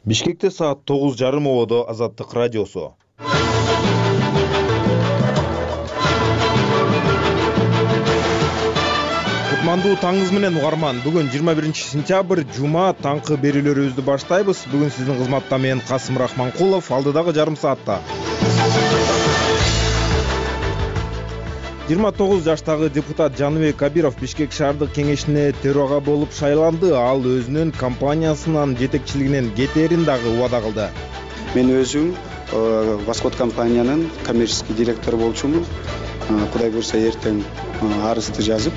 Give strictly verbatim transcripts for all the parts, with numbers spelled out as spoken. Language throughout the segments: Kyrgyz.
Бишкекте саат тогуз жарым ободо Азаттык радиосу. Кутмандуу таңыңыз менен угарман. Бүгүн жыйырма биринчи сентябрь, жума, таңкы берүүлөрүбүздү баштайбыз. Бүгүн сиздин кызматта мен Касым Рахманкулов, алдыдагы жарым саатта. жыйырма тогуз жаштагы депутат Жаныбек Кабиров Бишкек шаардык кеңешине төрага болуп шайланды. Ал өзүнүн компаниясынын жетекчилигинен кетээрин дагы убада кылды. Мен өзүм Восход компаниянын коммерческий директору болчумун. Кудай буйрса эртең арызды жазып,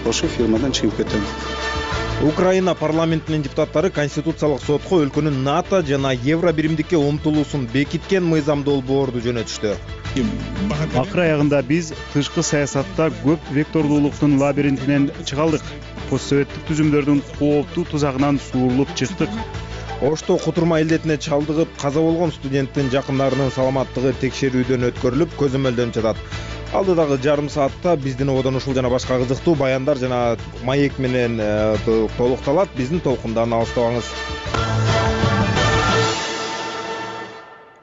ошо фирмадан чыгып кетем. Украина парламентинин депутаттары Конституциялык сотко өлкөнүн НАТО жана Евро биримдикке умтулуусун бекиткен мыйзам долбоорду жөнөтүштү. Акыр аягында биз тышкы саясатта көп вектордуулуктун лабиринтинен чыга алдык. Постсоветтик түзүмдөрдүн кооптуу тузагынан суурулуп чыктык. Ошто кутурма илдетине чалдыгып каза болгон студенттин жакындарынын саламаттыгы текшерүүдөн өткөрүлүп, көзөмөлдөнүп жатат. Алдыдагы жарым саатта биздин ободон ушул жана башка кызыктуу баяндар жана маек менен толукталат. Биздин толкундан алыстабаңыз.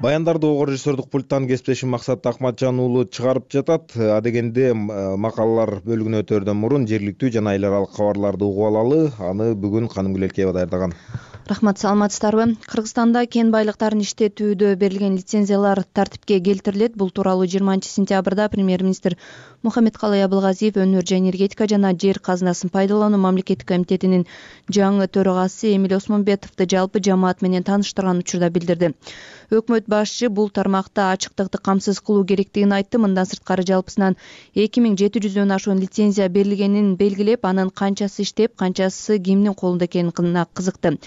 Баяндарды ого режиссердук пульттан кесиптешим Максат Акматжан уулу чыгарып жатат. Адегенде макалалар бөлүгүнө өтөрдөн мурун жергиликтүү жана эл аралык кабарларды угуп алалы. Аны бүгүн Канымгүл Элкеева даярдаган. Рахмат, саламатсыздарбы? Кыргызстанда кен байлыктарын иштетүүдө берилген лицензиялар тартипке келтирилет. Бул тууралуу жыйырманчы сентябрда премьер-министр Мухаммедкалый Абылгазиев Өнөр жана энергетика жана жер казынасын пайдалануу мамлекеттик комитетинин жаңы төрагасы Эмиль Осмонбетовду жалпы жамаат менен тааныштырган учурда билдирди. Өкмөт башчы бул тармакта ачыктыкты камсыз кылуу керектигин айтты. Мындан сырткары жалпысынан эки миң жети жүздөн ашуун лицензия берилгенин белгилеп, анын канчасы иштеп, канчасы кимдин колунда экенине кызыкты.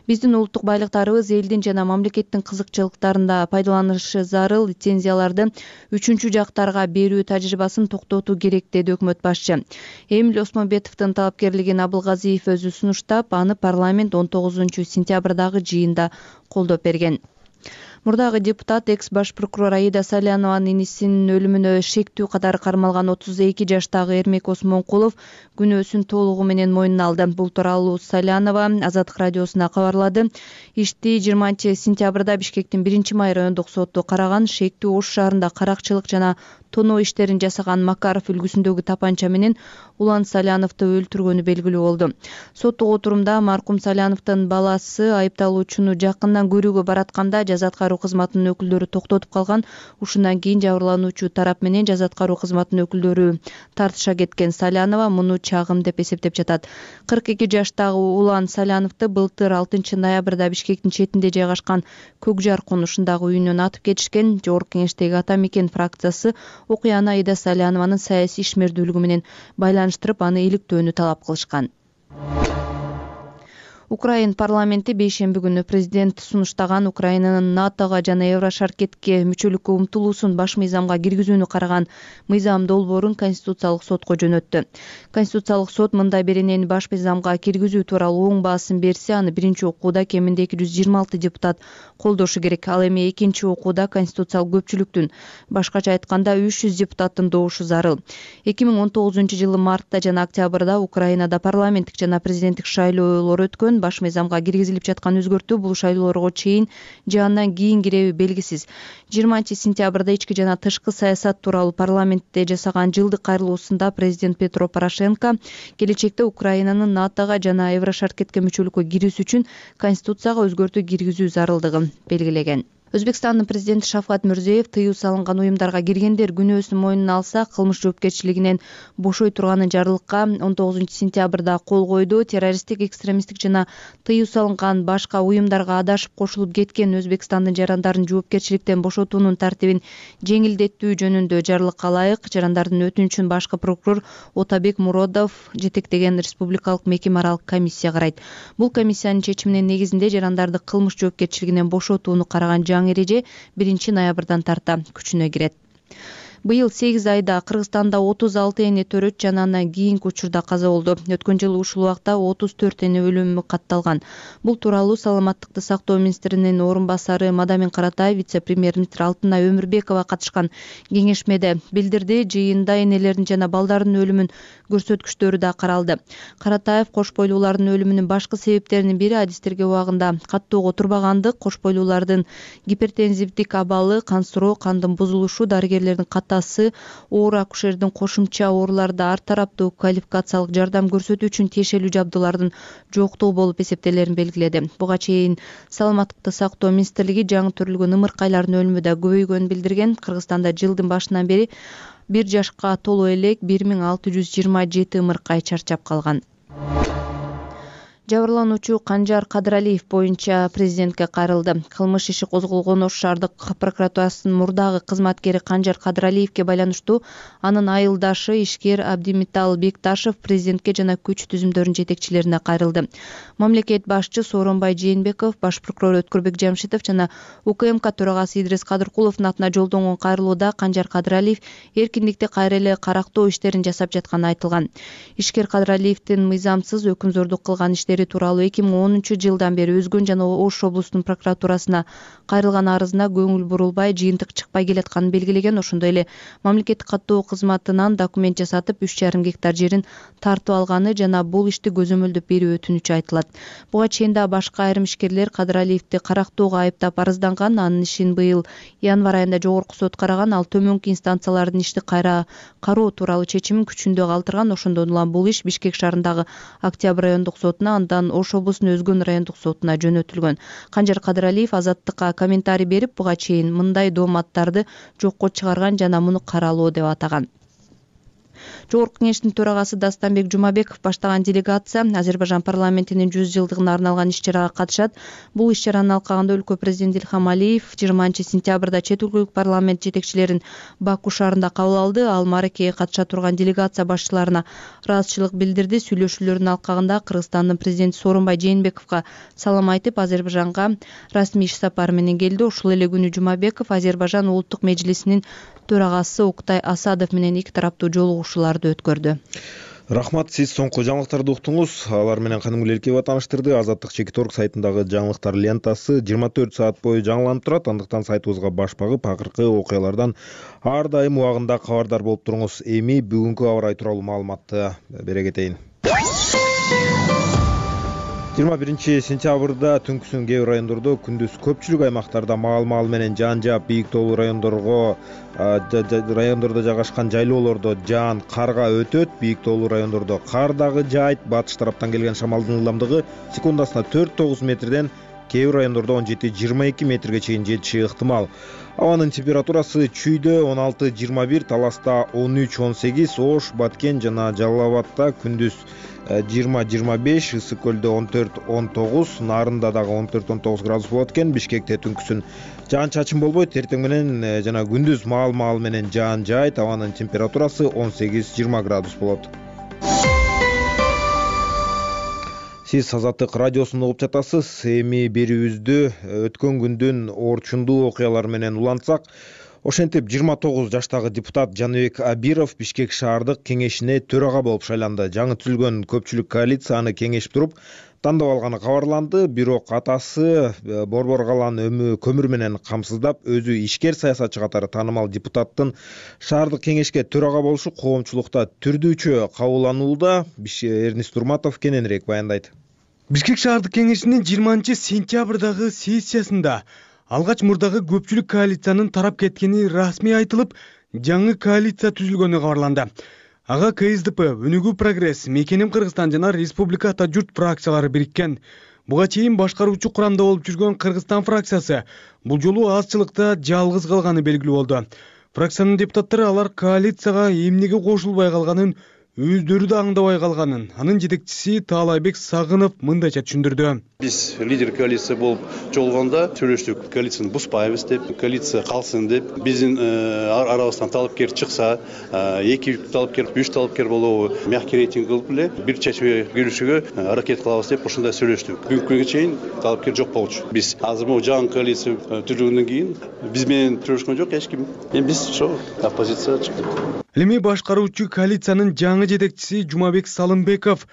Биздин улуттук байлыктарыбыз элдин жана мамлекеттин кызыкчылыктарында пайдаланышы зарыл. Лицензияларды үчүнчү жактарга берүү тажрыйбасын токтотуу керек, деди өкмөт башчы. Эмиль Осмонбетовдун талапкерлигин Абылгазиев өзү сунуштап, аны парламент он тогузунчу сентябрдагы жыйында колдоп берген. Мурдагы депутат экс баш прокурор Аида Салянованын инисинин өлүмүнө шектүү катары кармалган отуз эки жаштагы Эрмек Осмонкулов күнөөсүн толугу менен мойнуна алды. Бул тууралуу Салянова Азаттык радиосуна кабарлады. Ишти жыйырманчы сентябрда Бишкектин биринчи май райондук соту караган. Шектүү Ош шаарында каракчылык жана тоноо иштерин жасаган Макаров үлгүсүндөгү тапанча менен Улан Саляновду өлтүргөнү белгилүү болду. Соттук отурумда маркум Саляновдун баласы айыпталуучуну жакындан көрүүгө баратканда жаза аткаруу кызматынын өкүлдөрү токтотуп калган. Ушундан кийин жабырлануучу тарап менен жаза аткаруу кызматынын өкүлдөрү тартыша кеткен. Салянова муну чагым деп эсептеп жатат. кырк эки жаштагы Улан Саляновду былтыр алтынчы ноябрда Бишкектин четинде жайгашкан Көкжар конушундагы үйүнөн атып кетишкен. Жогорку кеңештеги Ата Мекен фракциясы окуяны Аида Салянованын саясий ишмердүүлүгү менен байланыштырып, аны иликтөөнү талап кылышкан. Украин парламенти бейшемби күнү президент сунуштаган Украинанын НАТОго жана Еврошаркетке мүчөлүккө умтулуусун баш мыйзамга киргизүүнү караган мыйзам долбоорун Конституциялык сотко жөнөттү. Конституциялык сот мындай беренени баш мыйзамга киргизүү тууралуу оң баасын берсе, аны биринчи окууда кеминде эки жүз жыйырма алты депутат колдошу керек. Ал эми экинчи окууда конституциялык көпчүлүктүн, башкача айтканда үч жүз депутаттын добушу зарыл. эки миң он тогузунчу жылы мартта жана октябрда Украинада парламенттик жана президенттик шайлоолор өткөн. Баш мыйзамга киргизилип жаткан өзгөртүү бул шайлоолорго чейин же андан кийин киреби белгисиз. жыйырманчы сентябрда ички жана тышкы саясат тууралуу парламентте жасаган жылдык кайрылуусунда президент Петро Порошенко келечекте Украинанын НАТОго жана Еврошаркетке мүчөлүккө кирүүсү үчүн конституцияга өзгөртүү киргизүү зарылдыгын белгилеген. Өзбекстандын президенти Шавкат Мирзиёев тыюу салынган уюмдарга киргендер күнөөсүн мойнуна алса, кылмыш жоопкерчилигинен бошой турганын жарлыкка он тогузунчу сентябрда кол койду. Террористтик, экстремисттик жана тыюу салынган башка уюмдарга адашып кошулуп кеткен Өзбекстандын жарандарын жоопкерчиликтен бошотуунун тартибин жеңилдетүү жөнүндө жарлыкка ылайык жарандардын өтүнүчүн башкы прокурор Отабек Муродов жетектеген республикалык мекеме аралык комиссия карайт. Бул комиссиянын чечиминин негизинде жарандарды кылмыш жоопкерчилигинен бошотууну караган жаңы эреже биринчи ноябрдан тарта күчүнө кирет. Быйыл сегиз айда Кыргызстанда отуз алты эне төрөт жана андан кийинки учурда каза болду. Өткөн жылы ушул убакта отуз төрт эне өлүмү катталган. Бул тууралуу саламаттыкты сактоо министринин орун басары Мадамин Каратаев вице-премьер-министр Алтынай Өмүрбекова катышкан кеңешмеде билдирди. Жыйында энелердин жана балдардын өлүмүнүн көрсөткүчтөрү да каралды. Каратаев кош бойлуулардын өлүмүнүн башкы себептеринин бири адистерге убагында каттоого турбагандык, кош бойлуулардын гипертензивдик абалы, кансыроо, кандын бузулушу, дарыгерлердин катасы, оор акушердин кошумча ооруларда ар тараптуу квалификациялык жардам көрсөтүү үчүн тиешелүү жабдуулардын жоктугу болуп эсептелерин белгиледи. Буга чейин саламаттыкты сактоо министрлиги жаңы төрөлгөн ымыркайлардын өлүмү да көбөйгөнүн билдирген. Кыргызстанда жылдын башынан бери бир жашка толо элек бир миң алты жүз жыйырма жети ымыркай чарчап калган. Жабырлануучу Канжар Кадыралиев боюнча президентке кайрылды. Кылмыш иши козголгон Ош шаардык прокуратурасынын мурдагы кызматкери Канжар Кадыралиевке байланыштуу анын айылдашы ишкер Абдимитал Бекташев президентке жана күч түзүмдөрүнүн жетекчилерине кайрылды. Мамлекет башчы Сооронбай Жээнбеков, баш прокурор Өткөрбек Жамшитов жана УКМК төрагасы Идрис Кадыркуловдун атына жолдонгон кайрылууда Канжар Кадыралиев эркиндикти кайра эле карактоо иштерин жасап жатканы айтылган. Ишкер Кадыралиевдин мыйзамсыз өкүмзордук кылган иштери тууралуу эки миң онунчу жылдан бери Өзгөн жана Ош облустунун прокуратурасына кайрылган арызына көңүл бурулбай, жыйынтык чыкпай келатканын белгилеген. Ошондой эле мамлекеттик каттоо кызматынан документ жасатып үч жарым гектар жерин тартып алганы жана бул ишти көзөмөлдөп берүү өтүнүчү айтылат. Буга чейин да башка айрым ишкерлер Кадыралиевди карактоого айыптап арызданган. Анын ишин быйыл январь айында жогорку сот караган. Ал төмөнкү инстанциялардын ишти кайра кароо тууралуу чечимин күчүндө калтырган. Ошондон улам бул иш Бишкек шаарындагы Октябрь райондук сотуна, андан Ош облусунун Өзгөн райондук сотуна жөнөтүлгөн. Канжар Кадыралиев Азаттыкка комментарий берип, буга чейин мындай дооматтарды жокко чыгарган жана муну каралоо деп атаган. Жогорку кеңештин төрагасы Дастанбек Жумабеков баштаган делегация Азербайжан парламентинин жүз жылдыгына арналган иш-чарага катышат. Бул иш-чараны алкагында өлкө президенти Илхам Алиев жыйырманчы сентябрда чет өлкөлүк парламент жетекчилерин Баку шаарында кабыл алды. Ал мааракеге катыша турган делегация башчыларына ыраазычылык билдирди. Сүйлөшүүлөрдүн алкагында Кыргызстандын президенти Сооронбай Жээнбековго салам айтып, Азербайжанга расмий иш сапары менен келди. Ушул эле күнү Жумабеков Азербайжан улуттук межлисинин төрагасы Уктай Асадов менен эки тараптуу жолугушууларды өткөрдү. Рахмат, сиз соңку жаңылыктарды уктуңуз. Алар менен Каным Гүлелкеева тааныштырды. Азаттык Чекиторг сайтындагы жаңылыктар лентасы жыйырма төрт саат бою жаңыланып турат. Андыктан сайтыбызга баш багып, акыркы окуялардан ар дайым убагында кабардар болуп туруңуз. Эми бүгүнкү аба ырайы тууралуу маалыматты бере кетейин. жыйырма биринчи сентябрда түнкүсүн кээ бир райондордо, күндүз көпчүлүк аймактарда маал-маал менен жаан жаап, бийик тоолуу райондорго райондордо жайгашкан жайлоолордо жаан, карга өтөт. Бийик тоолуу райондордо кар дагы жаайт. Батыш тараптан келген шамалдын ылдамдыгы секундасына төрт тогуз метрден, кээ бир райондордо он жети жыйырма эки метрге чейин жетиши ыктымал. Абанын температурасы Чүйдө он алты жыйырма бир, Таласта он үч он сегиз, Ош, Баткен жана Жалал Абадта күндүз жыйырма жыйырма беш, Ысык көлдө он төрт он тогуз, Нарында дагы он төрт он тогуз градус болот экен. Бишкекте түнкүсүн жаан чачын болбойт. Эртең менен жана күндүз маал-маал менен жаан жаайт. Абанын температурасы он сегиз жыйырма градус болот. Сиз Азаттык радиосун угуп жатасыз. Эми берүүбүздү өткөн күндүн орчундуу окуялары менен улантсак, ошентип жыйырма тогуз жаштагы депутат Жаныбек Абиров Бишкек шаардык кеңешине төрага болуп шайланды. Жаңы түзүлгөн көпчүлүк коалиция аны кеңешип туруп тандап алганы кабарланды. Бирок атасы борбор калан көмүр менен камсыздап, өзү ишкер саясатчы катары таанымал депутаттын шаардык кеңешке төрага болушу коомчулукта түрдүүчө кабылданууда. Эрнис Турматов кененирээк баяндайт. Бишкек шаардык кеңешинин жыйырманчы сентябрдагы сессиясында алгач мурдагы көпчүлүк коалициянын тарап кеткени расмий айтылып, жаңы коалиция түзүлгөнү кабарланды. Ага КСДП, Өнүгүү Прогресс, Мекеним Кыргызстан жана Республика Ата журт фракциялары бириккен. Буга чейин башкаруучу курамда болуп жүргөн Кыргызстан фракциясы бул жолу азчылыкта жалгыз калганы белгилүү болду. Фракциянын депутаттары алар коалицияга эмнеге кошулбай калганын өздөрү да аңдабай калганын анын жетекчиси Таалайбек Сагынов мындайча түшүндүрдү. Биз лидер коалиция болуп жолгондо сүйлөштүк, коалицияны бузбайбыз деп, коалиция калсын деп. Биздин арабыздан талапкер чыкса, эки талапкер, үч талапкер болобу, мягкий рейтинг кылып эле бир чечимге келүүгө аракет кылабыз деп ошондой сүйлөштүк. Бүгүнкү чейин талапкер жок болчу. Биз азыр могу жаңы коалиция түзүлгөндөн кийин биз менен сүйлөшкөн жок эч ким. Эми биз ошо оппозицияга чыктык. Эми башкаруучу коалициянын жаңы жетекчиси Жумабек Салымбеков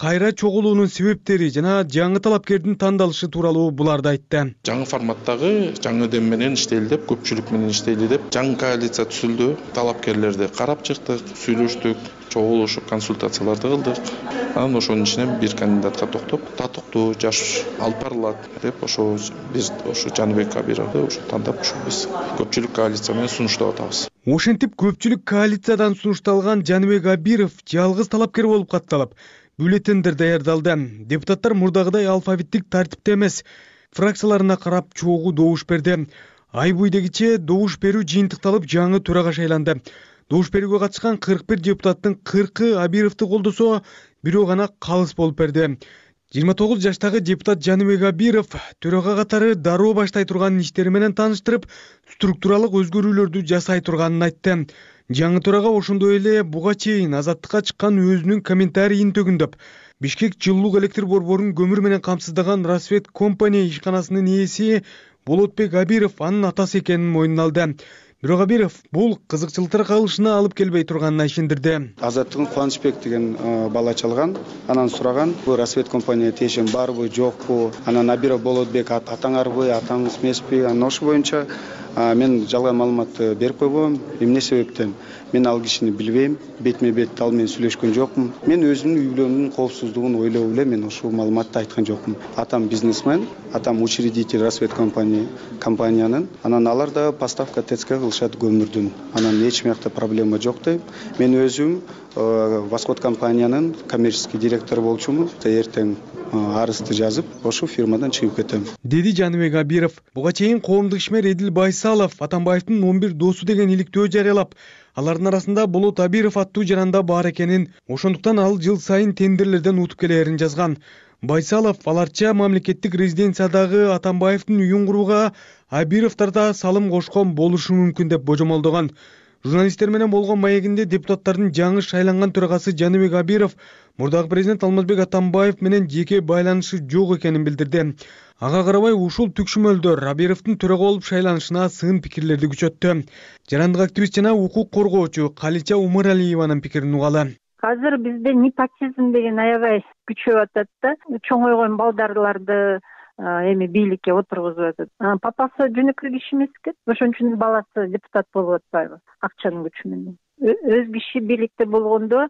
кайра чогулуунун себептери жана жаңы талапкердин тандалышы тууралуу буларды айтты. Жаңы форматтагы жаңы дем менен иштейли деп, көпчүлүк менен иштейли деп жаңы коалиция түзүлдү. Талапкерлерди карап чыктык, сүйлөштүк, чогулушуп консультацияларды кылдык. Анан ошонун ичинен бир кандидатка токтоп, татыктуу жаш алып барылат деп ошо биз ошо Жаныбек Кабировду ошо тандап ошо биз көпчүлүк коалиция менен сунуштап атабыз. Ошентип көпчүлүк коалициядан сунушталган Жаныбек Абиров жалгыз талапкер болуп катталып, бюллетендер даярдалды. Депутаттар мурдагыдай алфавиттик тартипте эмес, фракцияларына карап чогуу добуш берди. Ай бойдегиче добуш берүү жыйынтыкталып, жаңы төрага шайланды. Добуш берүүгө катышкан кырк бир депутаттын кыркы Абировду колдосо, бирөө гана калыс болуп берди. жыйырма тогуз жаштагы депутат Жаныбек Абиров төрага катары дароо баштай турган иштери менен тааныштырып, структуралык өзгөрүүлөрдү жасай турганын айтты. Жаңы төрага ошондой эле буга чейин азаттыкка чыккан өзүнүн комментарийин төгүндөп, Бишкек жылуулук электр борборун көмүр менен камсыздаган Расвет компания ишканасынын ээси Болотбек Абиров анын атасы экенин мойнуна алды. Бирок Абиров бул кызыкчылыктар кагылышына алып келбей турганына ишендирди. Азаттыгын Кубанычбек деген бала чалган, анан сураган, бул Расвет компания тиешен барбы, жокпу, анан Абиров Болотбек атаңарбы, атаңыз эмеспи, анан ошол боюнча мен жалган маалыматты берип койбойм. Эмне себептен? Мен ал кишини билбейм, бетме бет ал менен сүйлөшкөн жокмун. Мен өзүмдүн үй бүлөмдүн коопсуздугун ойлоп эле мен ушул маалыматты айткан жокмун. Атам бизнесмен, атам учредитель Расвет компания компаниянын. Анан алар да поставка ТЭЦК кылышат көмүрдүн. Анан эч мякта проблема жок дейм. Мен өзүм Восход компаниянын коммерческий директору болчумун. Эртең арызды жазып, ошол фирмадан чыгып кетем. Деди Жаныбек Абиров. Буга чейин коомдук ишмер Эдил Байсалов Атамбаевдин он бир досу деген иликтөө жарыялап, алардын арасында Болот Абиров аттуу жаранда бар экенин, ошондуктан ал жыл сайын тендерлерден утуп келерин жазган. Байсалов аларча мамлекеттик резиденциядагы Атамбаевдин үйүн курууга Абировдор да салым кошкон болушу мүмкүн деп божомолдогон. Журналисттер менен болгон маегинде депутаттардын жаңы шайланган төрагасы Жаныбек Абиров мурдагы президент Алмазбек Атамбаев менен жеке байланышы жок экенин билдирди. Ага карабай ушул түкшүмөлдөр Абировдун төрага болуп шайланышына сын пикирлерди күчөттү. Жарандык активист жана укук коргоочу Калича Умаралиеванын пикирин угалы. Азыр бизде непотизм деген аябай күчөп атат да. Чоңойгон балдарларды эми бийликке отургузуп атат. Папасы жөнөкөй киши эмес экен. Ошон үчүн баласы депутат болуп атпайбы? Акчанын күчү менен. Өз киши бийликте болгондо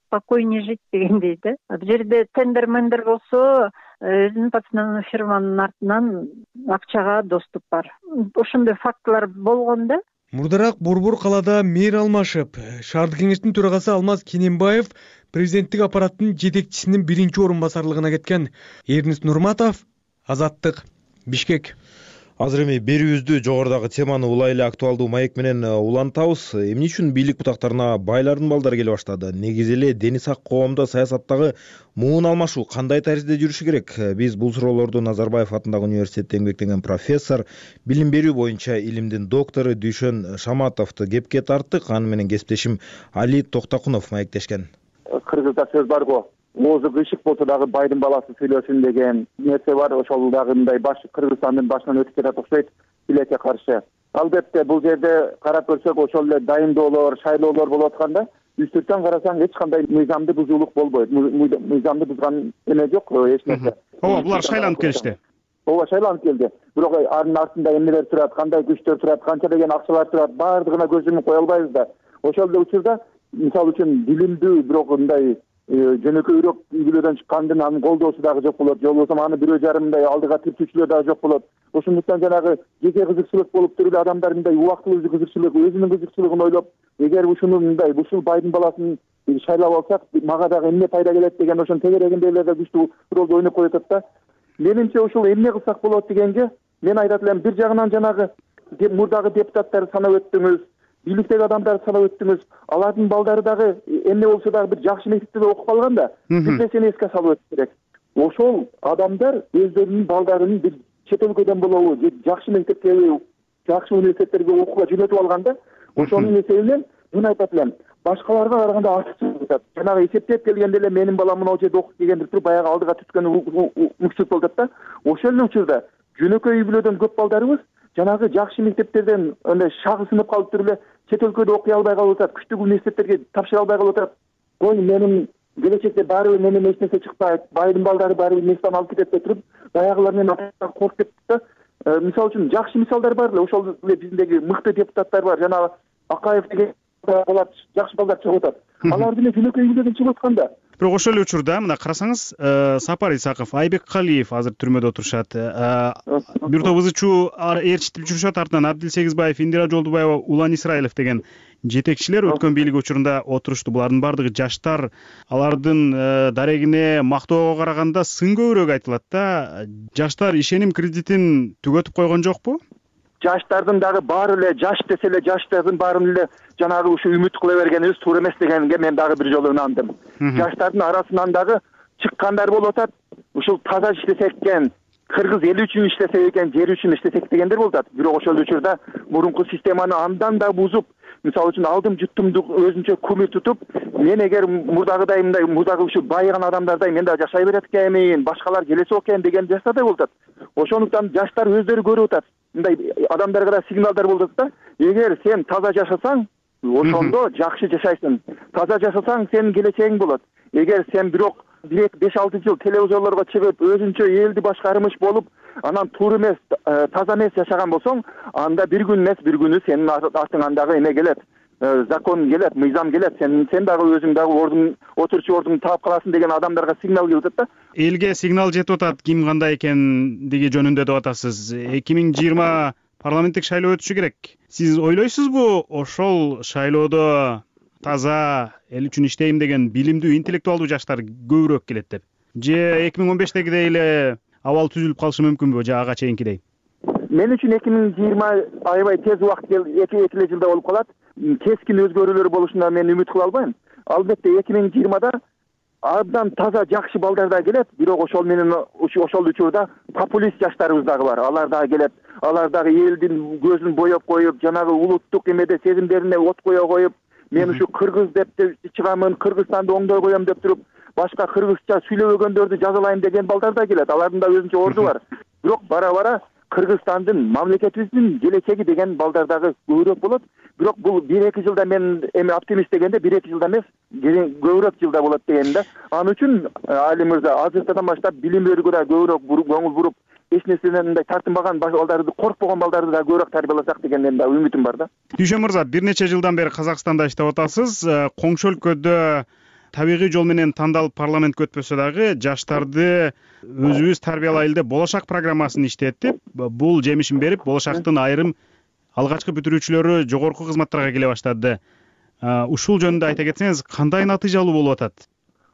спокойнее жить дегендей да. Бул жерде тендер-мендер болсо, өзүнүн пацанын фирманын артынан акчага доступ бар. Ошондой фактылар болгон да. Мурдараак Борбор калаада мэр алмашып, шаардык кеңештин төрагасы Алмаз Кененбаев президенттик аппараттын жетекчисинин биринчи орун басарлыгына кеткен. Эрнис Нурматов, Азаттык, Бишкек. Азыр эми берүүбүздү жогорудагы теманы улай эле актуалдуу маек менен улантабыз. Эмне үчүн бийлик бутактарына байлардын балдары келе баштады? Негизи эле дени сак коомдо саясаттагы муун алмашуу кандай таризде жүрүшү керек? Биз бул суроолорду Назарбаев атындагы университетте эмгектенген профессор, билим берүү боюнча илимдин доктору Дүйшөн Шаматовду кепке тарттык. Аны менен кесиптешим Али Токтакунов маектешкен. Кыргызда сөз барго. Оозу кыйшык болсо дагы байдын баласы сүйлөсүн деген нерсе бар. Ошол дагы мындай баш Кыргызстандын башынан өтүп жатат окшойт билекке каршы. Албетте бул жерде карап көрсөк ошол эле дайындоолор, шайлоолор болуп атканда үстүртөн карасаң эч кандай мыйзамдуу бузуулук болбойт. Мыйзамды бузган эме жок, эч нерсе. Ооба, булар шайланып келишти. Ооба, шайланып келди. Бирок анын артында эмнелер турат, кандай күчтөр турат, канча деген акчалар турат, баардыгына көз йумуп кое албайбыз да. Ошол эле учурда мисалы үчүн билимдүү бирок мындай жөнөкөйрөөк үй бүлөдөн чыккандын анын колдоосу дагы жок болот. Же болбосо аны бирөө жарым мындай алдыга тиртүүчүлөр дагы жок болот. Ошондуктан жанагы жеке кызыкчылык болуп туруп эле адамдар мындай убактылуу кызыкчылык, өзүнүн кызыкчылыгын ойлоп, эгер ушуну мындай ушул байдын баласын шайлап алсак, мага дагы эмне пайда келет деген ошонун тегерегинде эле күчтүү ролду ойноп коюп атат да. Менимче ушул эмне кылсак болот дегенге мен айтат элем, бир жагынан жанагы мурдагы депутаттарды санап өттүңүз, бийликтеги адамдарды санап өттүңүз. Алардын балдары дагы эмне болсо дагы бир жакшы мектепте окуп калган да. Бир нерсени эске салып өтүш керек. Ошол адамдар өздөрүнүн балдарын бир чет өлкөдөн болобу, же жакшы мектепке, жакшы университеттерге окууга жөнөтүп алганда, ошонун эсебинен мен айтат элем, башкаларга караганда артыкчылык жатат. Жанагы эсептеп келгенде эле менин балам мына жерде окуп келген деп туруп баягы алдыга түскөн мүкчүлүк болуп атат да. Ошол эле учурда жөнөкөй үй бүлөдөн көп балдарыбыз жанагы жакшы мектептерден андай шагысынып калып туруп эле чет өлкөдө окуй албай калып атат, күчтүү университеттерге тапшыра албай калып атат. Ой, менин келечекте баары менен эч нерсе чыкпайт, байдын балдары баары мектептен алып кетет деп туруп, баягылар менен коркуп кетти да. Мисалы үчүн жакшы мисалдар бар эле, ошол эле биздеги мыкты депутаттар бар, жана Акаев деген балдар, жакшы балдар чыгып атат. Алар деле жөнөкөй үй бүлөдөн чыгып атканда. Бирок ошол эле учурда мына карасаңыз, Сапар Исаков, Айбек Калиев азыр түрмөдө отурушат. Бир топ ызы чуу ээрчитип жүрүшөт, артынан Абдил Сегизбаев, Индира Жолдубаева, Улан Исраилов деген жетекчилер өткөн бийлик учурунда отурушту. Булардын баардыгы жаштар, алардын дарегине мактоого караганда сын көбүрөөк айтылат да. Жаштар ишеним кредитин түгөтүп койгон жокпу? Жаштардын дагы баары эле жаш десе эле жаштардын баарын эле жанагы ушу үмүт кыла бергенибиз туура эмес дегенге мен дагы бир жолу ынандым. Жаштардын арасынан дагы чыккандар болуп атат. Ушул таза иштесек экен, кыргыз эли үчүн иштесек экен, жер үчүн иштесек дегендер болуп атат. Бирок ошол учурда мурунку системаны андан да бузуп, мисалы үчүн алдым жуттумду өзүнчө күмүр тутуп, мен эгер мурдагыдай мындай мурдагы ушу байыган адамдардай мен да жашай берет экенмин, башкалар келесе экен деген жаштардай болуп атат. Ошондуктан жаштар өздөрү көрүп атат. Мындай адамдарга да сигналдар болуп атат да. Эгер сен таза жашасаң, ошондо жакшы жашайсың. Таза жашасаң, сенин келечегиң болот. Эгер сен бирок беш алты жыл телевизорлорго чыгып, өзүнчө элди башкармыш болуп, анан туура эмес, таза эмес жашаган болсоң, анда бир күн эмес, бир күнү сенин артыңан дагы эме келет. Закон келет, мыйзам келет, сен сен дагы өзүң дагы ордун отурчу ордуңду таап каласың деген адамдарга сигнал келип атат да. Элге сигнал жетип атат, ким кандай экендиги жөнүндө деп атасыз. эки миң жыйырма парламенттик шайлоо өтүшү керек. Сиз ойлойсузбу, ошол шайлоодо таза эл үчүн иштейм деген билимдүү, интеллектуалдуу жаштар көбүрөөк келет деп? Же эки миң он бештегидей эле абал түзүлүп калышы мүмкүнбү, же ага чейинкидей? Мен үчүн эки миң жыйырма аябай тез убакыт эки эле жылда болуп калат. Кескин өзгөрүүлөр болушуна мен үмүт кыла албайм. Албетте эки миң жыйырмада абдан таза жакшы балдар да келет, бирок ошол менен ошол учурда популист жаштарыбыз дагы бар. Алар дагы келет. Алар дагы элдин көзүн боеп коюп, жанагы улуттук эмеде сезимдерине от кое коюп, мен ушу кыргыз деп чыгамын, Кыргызстанды оңдой коем деп туруп, башка кыргызча сүйлөбөгөндөрдү жазалайм деген балдар да келет. Алардын да өзүнчө орду бар. Бирок бара-бара Кыргызстандын, мамлекетибиздин келечеги деген балдар дагы көбүрөөк болот. Бирок бул бир эки жылда мен эми оптимист дегенде бир эки жылда эмес, көбүрөөк жылда болот деген да. Ал үчүн Али мырза азыртадан баштап билим берүүгө да көбүрөөк көңүл буруп, эч нерседен мындай тартынбаган балдарды, коркпогон балдарды да көбүрөөк тарбияласак деген менин да үмүтүм бар да. Дүйшөн мырза, бир нече жылдан бери Казакстанда иштеп атасыз. Коңшу өлкөдө табигый жол менен тандалып парламентке өтпөсө дагы жаштарды өзүбүз тарбиялайлы деп болошак программасын иштетип, бул жемишин берип, болошактын айрым алгачкы бүтүрүүчүлөрү жогорку кызматтарга келе баштады. Ушул жөнүндө айта кетсеңиз, кандай натыйжалуу болуп атат?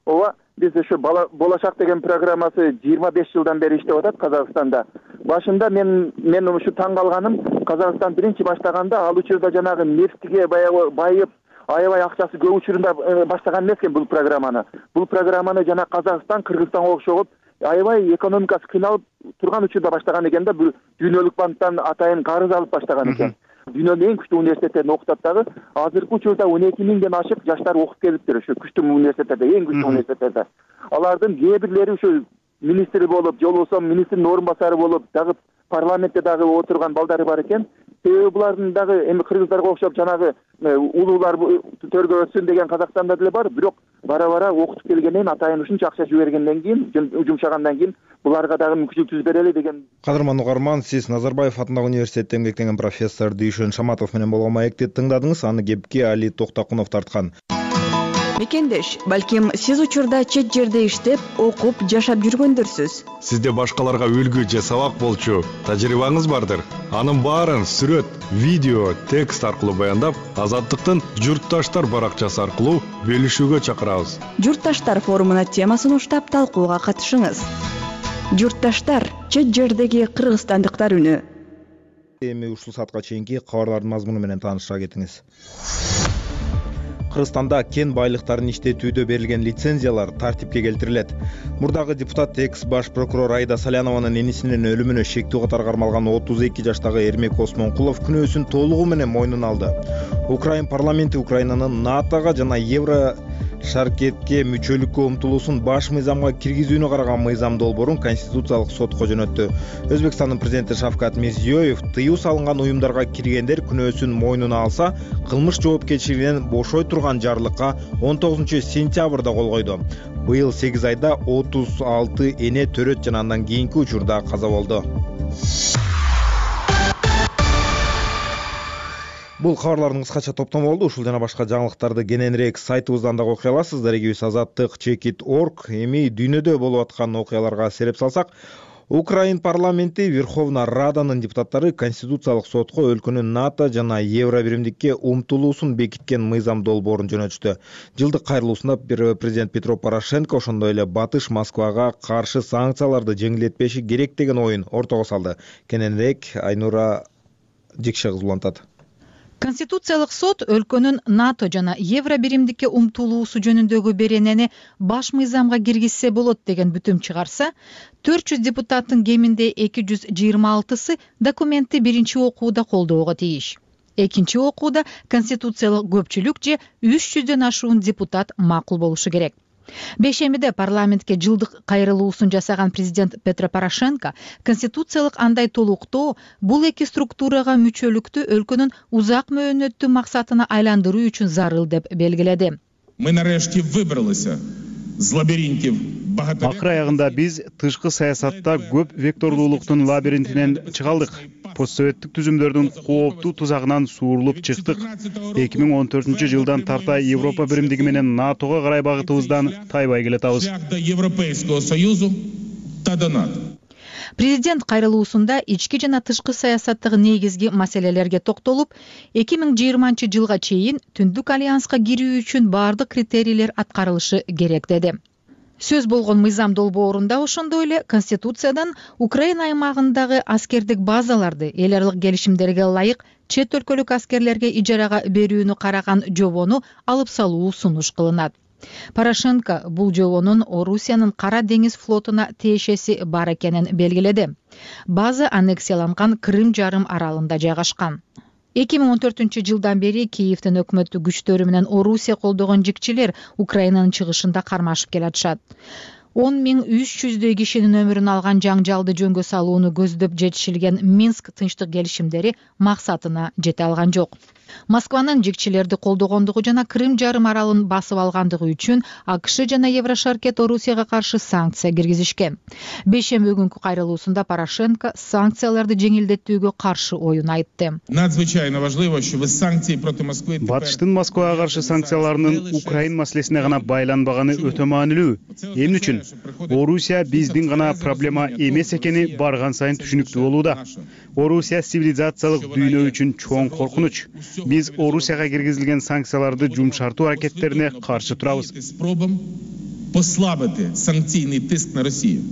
Ооба, биз ушу болошак деген программасы жыйырма беш жылдан бери иштеп атат Казакстанда. Башында мен мен ушу таң калганым, Казакстан биринчи баштаганда ал учурда жанагы нефтиге баягы байып, аябай акчасы көп учурунда баштаган эмес экен бул программаны. Бул программаны жана Казакстан, Кыргызстанга окшоп аябай экономикасы кыйналып турган учурда баштаган экен да. Бул Дүйнөлүк банктан атайын карыз алып баштаган экен. Дүйнөнүн эң күчтүү университеттерин окутат дагы. Азыркы учурда он эки миңден ашык жаштар окуп келиптир ушу күчтүү университеттерде, эң күчтүү университеттерде. Алардын кээ бирлери ушу министр болуп, же болбосо министрдин орун басары болуп, дагы парламентте дагы отурган балдары бар экен. Себеби булардын дагы эми кыргыздарга окшоп жанагы улуулар төргө өтсүн деген Казакстанда деле бар, бирок бара-бара окутуп келгенден атайын ушунча акча жибергенден кийин, жумшагандан кийин буларга дагы мүмкүнчүлүк түзүп берели деген. Кадырман угарман, сиз Назарбаев атындагы университетте эмгектенген профессор Дүйшөн Шаматов менен болгон маекти тыңдадыңыз. Аны кепке Али Токтакунов тарткан. Мекендеш, балким сиз учурда чет жерде иштеп, окуп, жашап жүргөндөрсүз. Сизде башкаларга үлгү же сабак болчу тажрыйбаңыз бардыр. Анын баарын сүрөт, видео, текст аркылуу баяндап, Азаттыктын Журтташтар баракчасы аркылуу бөлүшүүгө чакырабыз. Журтташтар форумуна темасын уштап талкууга катышыңыз. Журтташтар — чет жердеги кыргызстандыктар үнү. эми ушул саатка чейинки кабарлардын мазмуну менен тааныша кетиңиз. Кыргызстанда кен байлыктарын иштетүүдө берилген лицензиялар тартипке келтирилет. Мурдагы депутат экс баш прокурор Айда Салянованын энисинин өлүмүнө шектүү катары кармалган отуз эки жаштагы Эрмек Осмонкулов күнөөсүн толугу менен мойнуна алды. Украин парламенти Украинанын НАТОга жана Евро шаркетке мүчөлүккө умтулуусун баш мыйзамга киргизүүнү караган мыйзам долбоорун Конституциялык сотко жөнөттү. Өзбекстандын президенти Шавкат Мирзиёев тыюу салынган уюмдарга киргендер күнөөсүн мойнуна алса, кылмыш жоопкерчилигинен бошой турган жарлыкка он тогузунчу сентябрда кол койду. Быйыл сегиз айда отуз алты эне төрөт жана андан кийинки учурда каза болду. Бул кабарлардын кыскача топтому болду. Ушул жана башка жаңылыктарды кененирээк сайтыбыздан дагы окуй аласыздар. Дарегибиз азаттык чекит точка орг. Эми дүйнөдө болуп аткан окуяларга сереп салсак, Украин парламенти Верховна Раданын депутаттары Конституциялык сотко өлкөнүн НАТО жана Евро биримдикке умтулуусун бекиткен мыйзам долбоорун жөнөтүштү. Жылдык кайрылуусунда президент Петро Порошенко ошондой эле Батыш Москвага каршы санкцияларды жеңилдетпеши керек деген оюн ортого салды. Кененирээк Айнура Жекше кызы улантат. Конституциялык сот өлкөнүн НАТО жана Евро биримдикке умтулуусу жөнүндөгү беренени баш мыйзамга киргизсе болот деген бүтүм чыгарса, төрт жүз депутаттын кеминде эки жүз жыйырма алтысы документти биринчи окууда колдоого тийиш. Экинчи окууда конституциялык көпчүлүк же үч жүздөн ашуун депутат макул болушу керек. Бешемиде парламентке жылдык кайрылуусун жасаган президент Петро Порошенко конституциялык андай толуктоо бул эки структурага мүчөлүктү өлкөнүн узак мөөнөттүү максатына айландыруу үчүн зарыл деп белгиледи. Мы нарешті выбралися з лабиринтів багато. Акыр аягында биз тышкы саясатта көп вектордуулуктун лабиринтинен чыга алдык. Постсоветтик түзүмдөрдүн кооптуу тузагынан суурулуп чыктык. эки миң он төртүнчү жылдан тарта Европа биримдиги менен НАТОго карай багытыбыздан тайбай келатабыз. Европейского союзу та до НАТО. Президент кайрылуусунда ички жана тышкы саясаттагы негизги маселелерге токтолуп, эки миң жыйырманчы жылга чейин Түндүк альянска кирүү үчүн бардык критерийлер аткарылышы керек деди. Сөз болгон мыйзам долбоорунда ошондой эле Конституциядан Украина аймагындагы аскердик базаларды эл аралык келишимдерге ылайык чет өлкөлүк аскерлерге ижарага берүүнү караган жобону алып салуу сунуш кылынат. Порошенко бул жобонун Орусиянын Кара деңиз флотуна тиешеси бар экенин белгиледи. База аннексияланган Крым жарым аралында жайгашкан. эки миң он төртүнчү жылдан бери Киевдин өкмөттүк күчтөрү менен Орусия колдогон жикчилер Украинанын чыгышында кармашып келатышат. он миң үч жүздөй кишинин өмүрүн алган жаңжалды жөнгө салууну көздөп жетишилген Минск тынчтык келишимдери максатына жете алган жок. Москванын жикчилерди колдогондугу жана Крым жарым аралын басып алгандыгы үчүн АКШ жана Еврошаркет Орусияга каршы санкция киргизишкен. Бешемби күнкү кайрылуусунда Порошенко санкцияларды жеңилдетүүгө каршы оюн айтты. Надзвычайно важливо, що ви санкції проти Москви Батыштын Москвага каршы санкцияларынын Украин маселесине гана байланбаганы өтө маанилүү. Эмне үчүн? Орусия биздин гана проблема эмес экени барган сайын түшүнүктүү болууда. Орусия цивилизациялык дүйнө үчүн чоң коркунуч. Биз Орусияга киргизилген санкцияларды жумшартуу аракеттерине каршы турабыз. Спробам послабити санкційний тиск на Росію.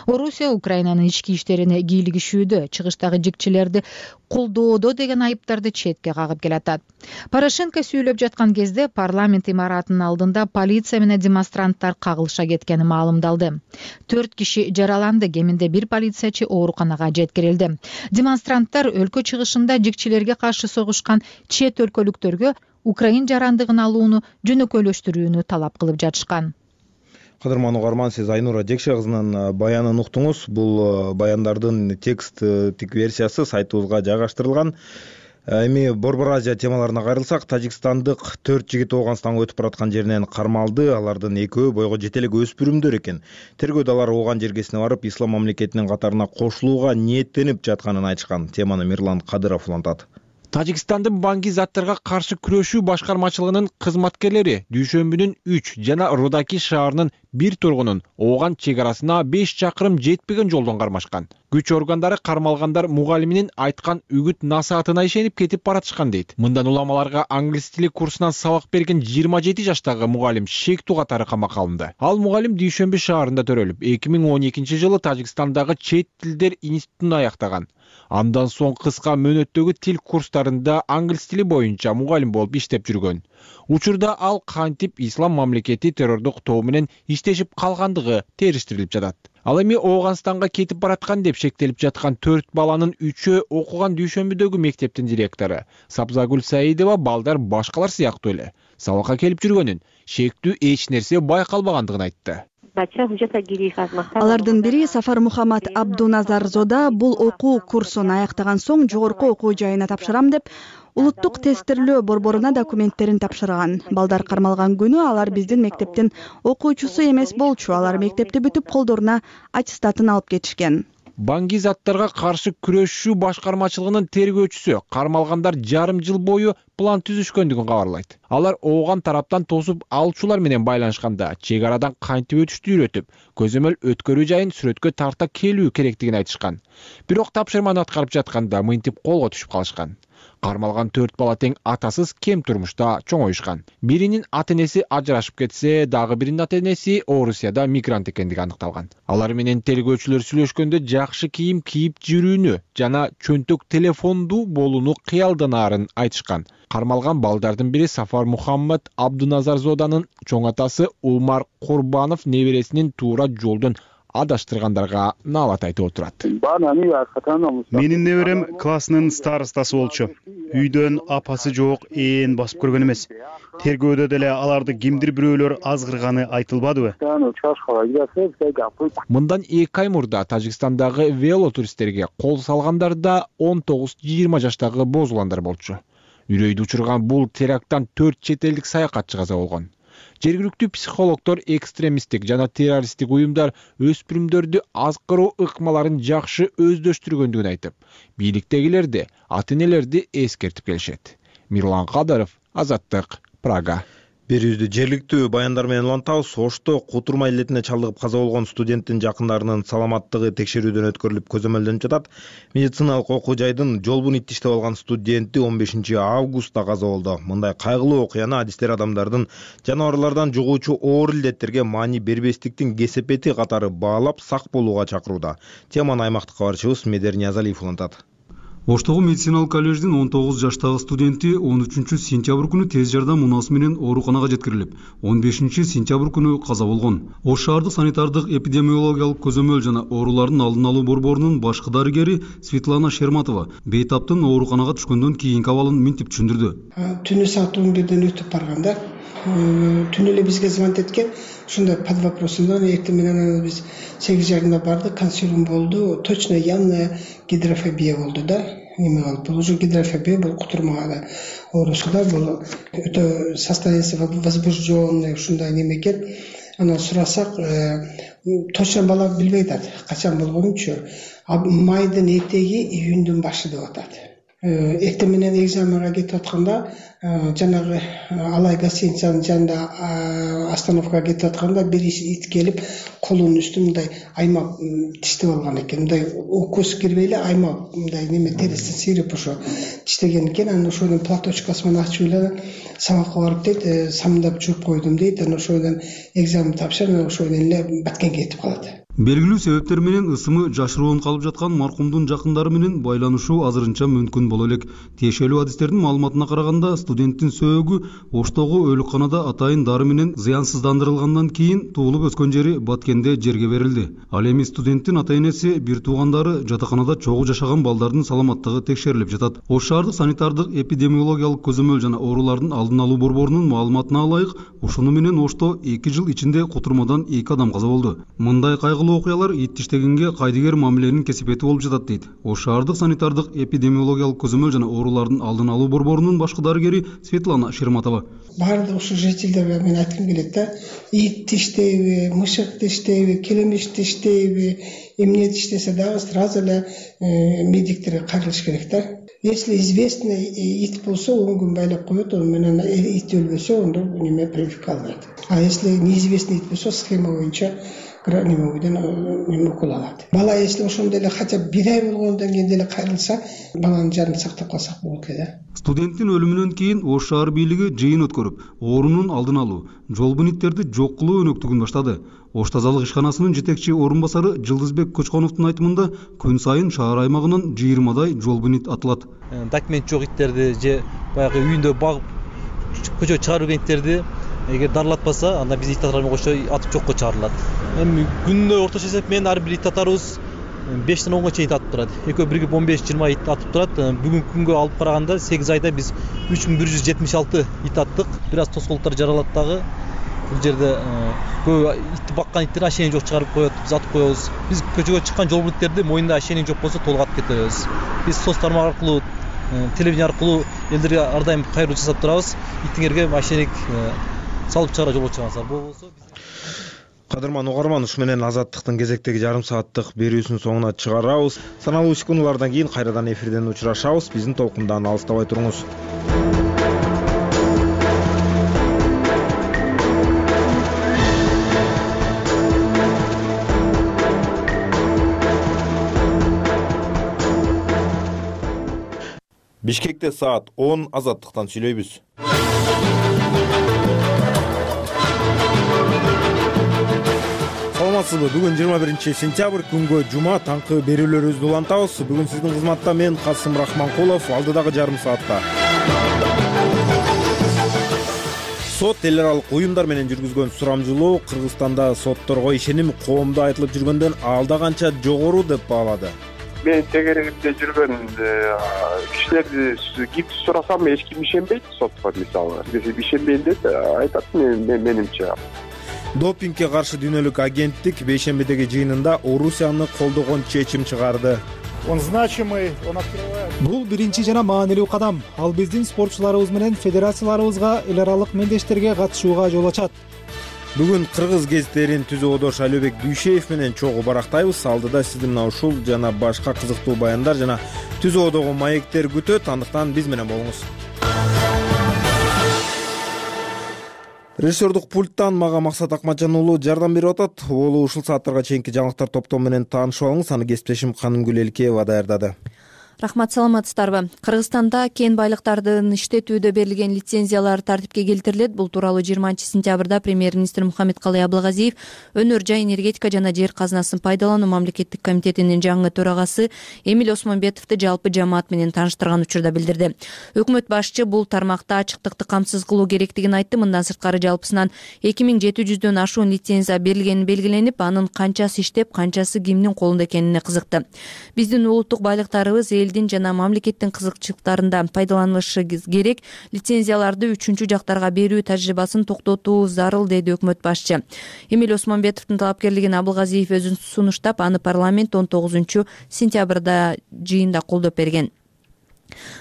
Орусия Украинанын ички иштерине кийлигишүүдө, чыгыштагы жикчилерди колдоодо деген айыптарды четке кагып келатат. Порошенко сүйлөп жаткан кезде парламент имаратынын алдында полиция менен демонстранттар кагылыша кеткени маалымдалды. Төрт киши жараланды, кеминде бир полициячы ооруканага жеткирилди. Демонстранттар өлкө чыгышында жикчилерге каршы согушкан чет өлкөлүктөргө Украин жарандыгын алууну жөнөкөйлөштүрүүнү талап кылып жатышкан. Кадырман угарман, сиз Айнура Жекше кызынын баянын уктуңуз. Бул баяндардын тексттик версиясы сайтыбызга жайгаштырылган. Эми Борбор Азия темаларына кайрылсак, тажикстандык төрт жигит Ооганстанга өтүп бараткан жеринен кармалды. Алардын экөө бойго жете элек өспүрүмдөр экен. Тергөөдө алар ооган жергесине барып, ислам мамлекетинин катарына кошулууга ниеттенип жатканын айтышкан. Теманы Мирлан Кадыров улантат. Тажикстандын банги заттарга каршы күрөшүү башкармачылыгынын кызматкерлери дүйшөмбүнүн үч жана Рудаки шаарынын бир тургунун ооган чек арасына беш чакырым жетпеген жолдон кармашкан. Күч органдары кармалгандар мугалиминин айткан үгүт насаатына ишенип кетип баратышкан дейт. Мындан уламаларга англис тили курсунан сабак берген жыйырма жети жаштагы мугалим шектүү катары камакка алынды. Ал мугалим Дүйшөмбү шаарында төрөлүп, эки миң он экинчи жылы Тажикстандагы чет тилдер институтун аяктаган. Андан соң кыска мөөнөттөгү тил курстарында англис тили боюнча мугалим болуп иштеп жүргөн. Учурда ал кантип ислам мамлекети террордук тобу менен иштешип калгандыгы териштирилип жатат. Ал эми Ооганстанга кетип бараткан деп шектелип жаткан төрт баланын үчөө окуган Дүйшөмбүдөгү мектептин директору Сабзагүл Саидова балдар башкалар сыяктуу эле сабакка келип жүргөнүн, шектүү эч нерсе байкалбагандыгын айтты. Алардын бири Сафар Мухаммад Абдуназарзода бул окуу курсун аяктаган соң жогорку окуу жайына тапшырам деп улуттук тестирлөө борборуна документтерин тапшырган. Балдар кармалган күнү алар биздин мектептин окуучусу эмес болчу. Алар мектепти бүтүп колдоруна аттестатын алып кетишкен. Банги заттарга каршы күрөшүү башкармачылыгынын тергөөчүсү кармалгандар жарым жыл бою план түзүшкөндүгүн кабарлайт. Алар ооган тараптан тосуп алуучулар менен байланышканда чек арадан кантип өтүштү үйрөтүп, көзөмөл өткөрүү жайын сүрөткө тарта келүү керектигин айтышкан. Бирок тапшырманы аткарып жатканда мынтип колго түшүп калышкан. Кармалган төрт бала тең атасыз кем турмушта чоңоюшкан. Биринин ата-энеси ажырашып кетсе, дагы биринин ата-энеси Орусияда мигрант экендиги аныкталган. Алар менен тергөөчүлөр сүйлөшкөндө жакшы кийим кийип жүрүүнү жана чөнтөк телефонду болууну кыялданаарын айтышкан. Кармалган балдардын бири Сафар Мухаммад Абдуназарзоданын чоң атасы Умар Курбанов небересинин туура жолдон адаштыргандарга наалат айтып отурат. Менин неберем классынын старостасы болчу. Үйдөн апасы жок, ээн басып көргөн эмес. Тергөөдө деле аларды кимдир бирөөлөр азгырганы айтылбадыбы? Мындан эки ай мурда Тажикстандагы велотуристтерге кол салгандарда он тогуз жыйырма жаштагы боз уландар болчу. Үрөйдү учурган бул теракттан төрт чет элдик саякатчы каза болгон. Жергиликтүү психологдор экстремисттик жана террористтик уюмдар өспүрүмдөрдү азкыруу ыкмаларын жакшы өздөштүргөндүгүн айтып, бийликтегилерди, ата-энелерди эскертип келишет. Мирлан Кадаров, Азаттык, Прага. Берүүбүздү жергиликтүү баяндар менен улантабыз. Ошто кутурма илетине чалдыгып каза болгон студенттин жакындарынын саламаттыгы текшерүүдөн өткөрүлүп көзөмөлдөнүп жатат. Медициналык окуу жайдын жолбун иттиштеп алган студенти он бешинчи августта каза болду. Мындай кайгылуу окуяны адистер адамдардын жаныбарлардан жугуучу оор илдеттерге маани бербестиктин кесепети катары баалап сак болууга чакырууда. Теманы аймактык кабарчыбыз Медер Ниязалиев улантат. Оштогу медициналык коллеждин он тогуз жаштагы студенти он үчүнчү сентябрь күнү тез жардам унаас менен ооруканага жеткирилип, он бешинчи сентябрь күнү каза болгон. Ош шаардык санитардык эпидемиологиялык көзөмөл жана оорулардын алдын алуу борборунун башкы дарыгери Светлана Шерматова бейтаптын ооруканага түшкөндөн кийинки абалын мынтип түшүндүрдү. Түнү саат он бирден өтүп барганда түнү эле бизге звонок эткен. Ушундай под вопросунан эртең менен биз сегиз жарымда бардык, консилиум болду. Точно явная гидрофобия болду да. Неме калып, бул уже гидрофобия, бул кутурмага оорусу да, бул өтө состояние возбужденный ушундай неме экен. Анан сурасак, точно бала билбей атат, качан болгонунчу. Майдын этеги, июндун башы деп атат. Эртең менен экзаменге кетип атканда, жанагы Алай гостиницанын жанында остановкага кетип атканда бир ит келип, колунун үстүн мындай аймап тиштеп алган экен. Мындай укус кирбей эле аймап мындай неме терисин сыйрып ошо тиштеген экен. Анан ошонун платочкасы менен ачып эле сабакка барып дейт, самдап жууп койдум дейт. Анан ошодон экзамен тапшырып, ошодон эле баткенге кетип калат. Белгилүү себептер менен ысымы жашыруун калып жаткан маркумдун жакындары менен байланышуу азырынча мүмкүн боло элек. Тиешелүү адистердин маалыматына караганда, студенттин сөөгү Оштогу өлүкканада атайын дары менен зыянсыздандырылгандан кийин туулуп өскөн жери Баткенде жерге берилди. Ал эми студенттин ата-энеси, бир туугандары жатаканада чогуу жашаган балдардын саламаттыгы текшерилип жатат. Ош шаардык санитардык эпидемиологиялык көзөмөл жана оорулардын алдын алуу борборунун маалыматына ылайык, ушуну менен Ошто эки жыл ичинде кутурмадан эки адам каза болду. Мындай кайгылуу окуялар ит тиштегенге кайдыгер мамиленин кесепети болуп жатат дейт. Ош шаардык санитардык эпидемиологиялык көзөмөл жана оорулардын алдын алуу борборунун башкы дарыгери Светлана Шерматова. Баардык ушу жителдерге мен айткым келет да, ит тиштейби, мышык тиштейби, келемиш тиштейби, эмне тиштесе дагы сразу эле медиктерге кайрылыш керек да. Если известный ит болсо, он күн байлап коет, ал менен ит өлбөсө, ондо неме прививка алынат. А если неизвестный этип болсо схема боюнча неме бойдон неме укол алат. Бала если ошондой эле хотя бы бир ай болгондон кийин деле кайрылса, баланын жанын сактап калсак болот эле да. Студенттин өлүмүнөн кийин Ош шаар бийлиги жыйын өткөрүп, оорунун алдын алуу, жол буниттерди жок кылуу өнөктүгүн баштады. Ош тазалык ишканасынын жетекчи орун басары Жылдызбек Көчконовдун айтымында күн сайын шаар аймагынан жыйырмадай жол бунит атылат. Документ жок иттерди же баягы үйүндө багып көчөгө чыгарып жүргөн иттерди эгер дарылатпаса, анда биз ит атарга кошо атып жокко чыгарылат. Эми күнүнө орточо эсеп менен ар бир ит атарыбыз бештен онго чейин атып турат. Экөө бирге он беш жыйырма ит атып турат. Бүгүнкү күнгө алып караганда сегиз айда биз үч миң бир жүз жетимиш алты ит аттык. Бир аз тоскоолдуктар жаралат дагы. Бул жерде көп итти баккан иттерди ашени жок чыгарып коет, биз атып коебуз. Биз көчөгө чыккан жол буниттерди моюнда ашени жок болсо толук атып кетебиз. Биз соц тармак аркылуу, телевидение аркылуу элдерге ар дайым кайрылуу жасап турабыз. Иттиңерге ашеник салып чыгара жолго чыгаңыздар. Болбосо Кадырман угарман, ушу менен Азаттыктын кезектеги жарым сааттык берүүсүнүн соңуна чыгарабыз. Саналуу үч күнлардан кийин кайрадан эфирден учурашабыз. Биздин толкундан алыстабай туруңуз. Бишкекте саат он, Азаттыктан сүйлөйбүз. Саламатсызбы? Бүгүн жыйырма биринчи сентябрь, күнгө жума, таңкы берүүлөрүбүздү улантабыз. Бүгүн сиздин кызматта мен Касым Рахманкулов, алдыдагы жарым саатта сот эл аралык уюмдар менен жүргүзгөн сурамжылоо Кыргызстанда сотторго ишеним коомдо айтылып жүргөндөн алда канча жогору деп баалады. Мен тегерегинде жүргөн кишилерди кимди сурасам эч ким ишенбейт сотко, мисалы. Ишенбейм деп айтат менимче. Допингге каршы дүйнөлүк агенттик бейшембидеги жыйынында Орусияны колдогон чечим чыгарды. Он значимый, он открывает. Бул биринчи жана маанилүү кадам. Ал биздин спортчуларыбыз менен федерацияларыбызга эл аралык мендештерге катышууга жол ачат. Бүгүн кыргыз гезиттерин түзүү одош Алибек Дүйшеев менен чогуу барактайбыз. Алдыда сизди мына ушул жана башка кызыктуу баяндар жана түзүү одого маектер күтөт. Андыктан биз менен болуңуз. Режиссердук пульттан мага Максат Акматжан уулу жардам берип атат. Уулу ушул сааттарга чейинки жаңылыктар топтому менен таанышып алыңыз. Аны кесиптешим Канымгүл Элкеева даярдады. Рахмат, саламатсыздарбы? Кыргызстанда кен байлыктардын иштетүүдө берилген лицензиялар тартипке келтирилет. Бул тууралуу жыйырманчы сентябрда премьер-министр Мухаммедкалый Абылгазиев өнөр жай энергетика жана жер казынасын пайдалануу мамлекеттик комитетинин жаңы төрагасы Эмиль Осмонбетовду жалпы жамаат менен тааныштырган учурда билдирди. Өкмөт башчы бул тармакта ачыктыкты камсыз кылуу керектигин айтты. Мындан сырткары жалпысынан эки миң жети жүздөн ашуун лицензия берилгени белгиленип, анын канчасы иштеп, канчасы кимдин колунда экенине кызыкты. Биздин улуттук байлыктарыбыз элдин жана мамлекеттин кызыкчылыктарында пайдаланылышы керек. Лицензияларды үчүнчү жактарга берүү тажрыйбасын токтотуу зарыл, деди өкмөт башчы. Эмиль Осмонбетовдун талапкерлигин Абылгазиев өзү сунуштап, аны парламент он тогузунчу сентябрда жыйында колдоп берген.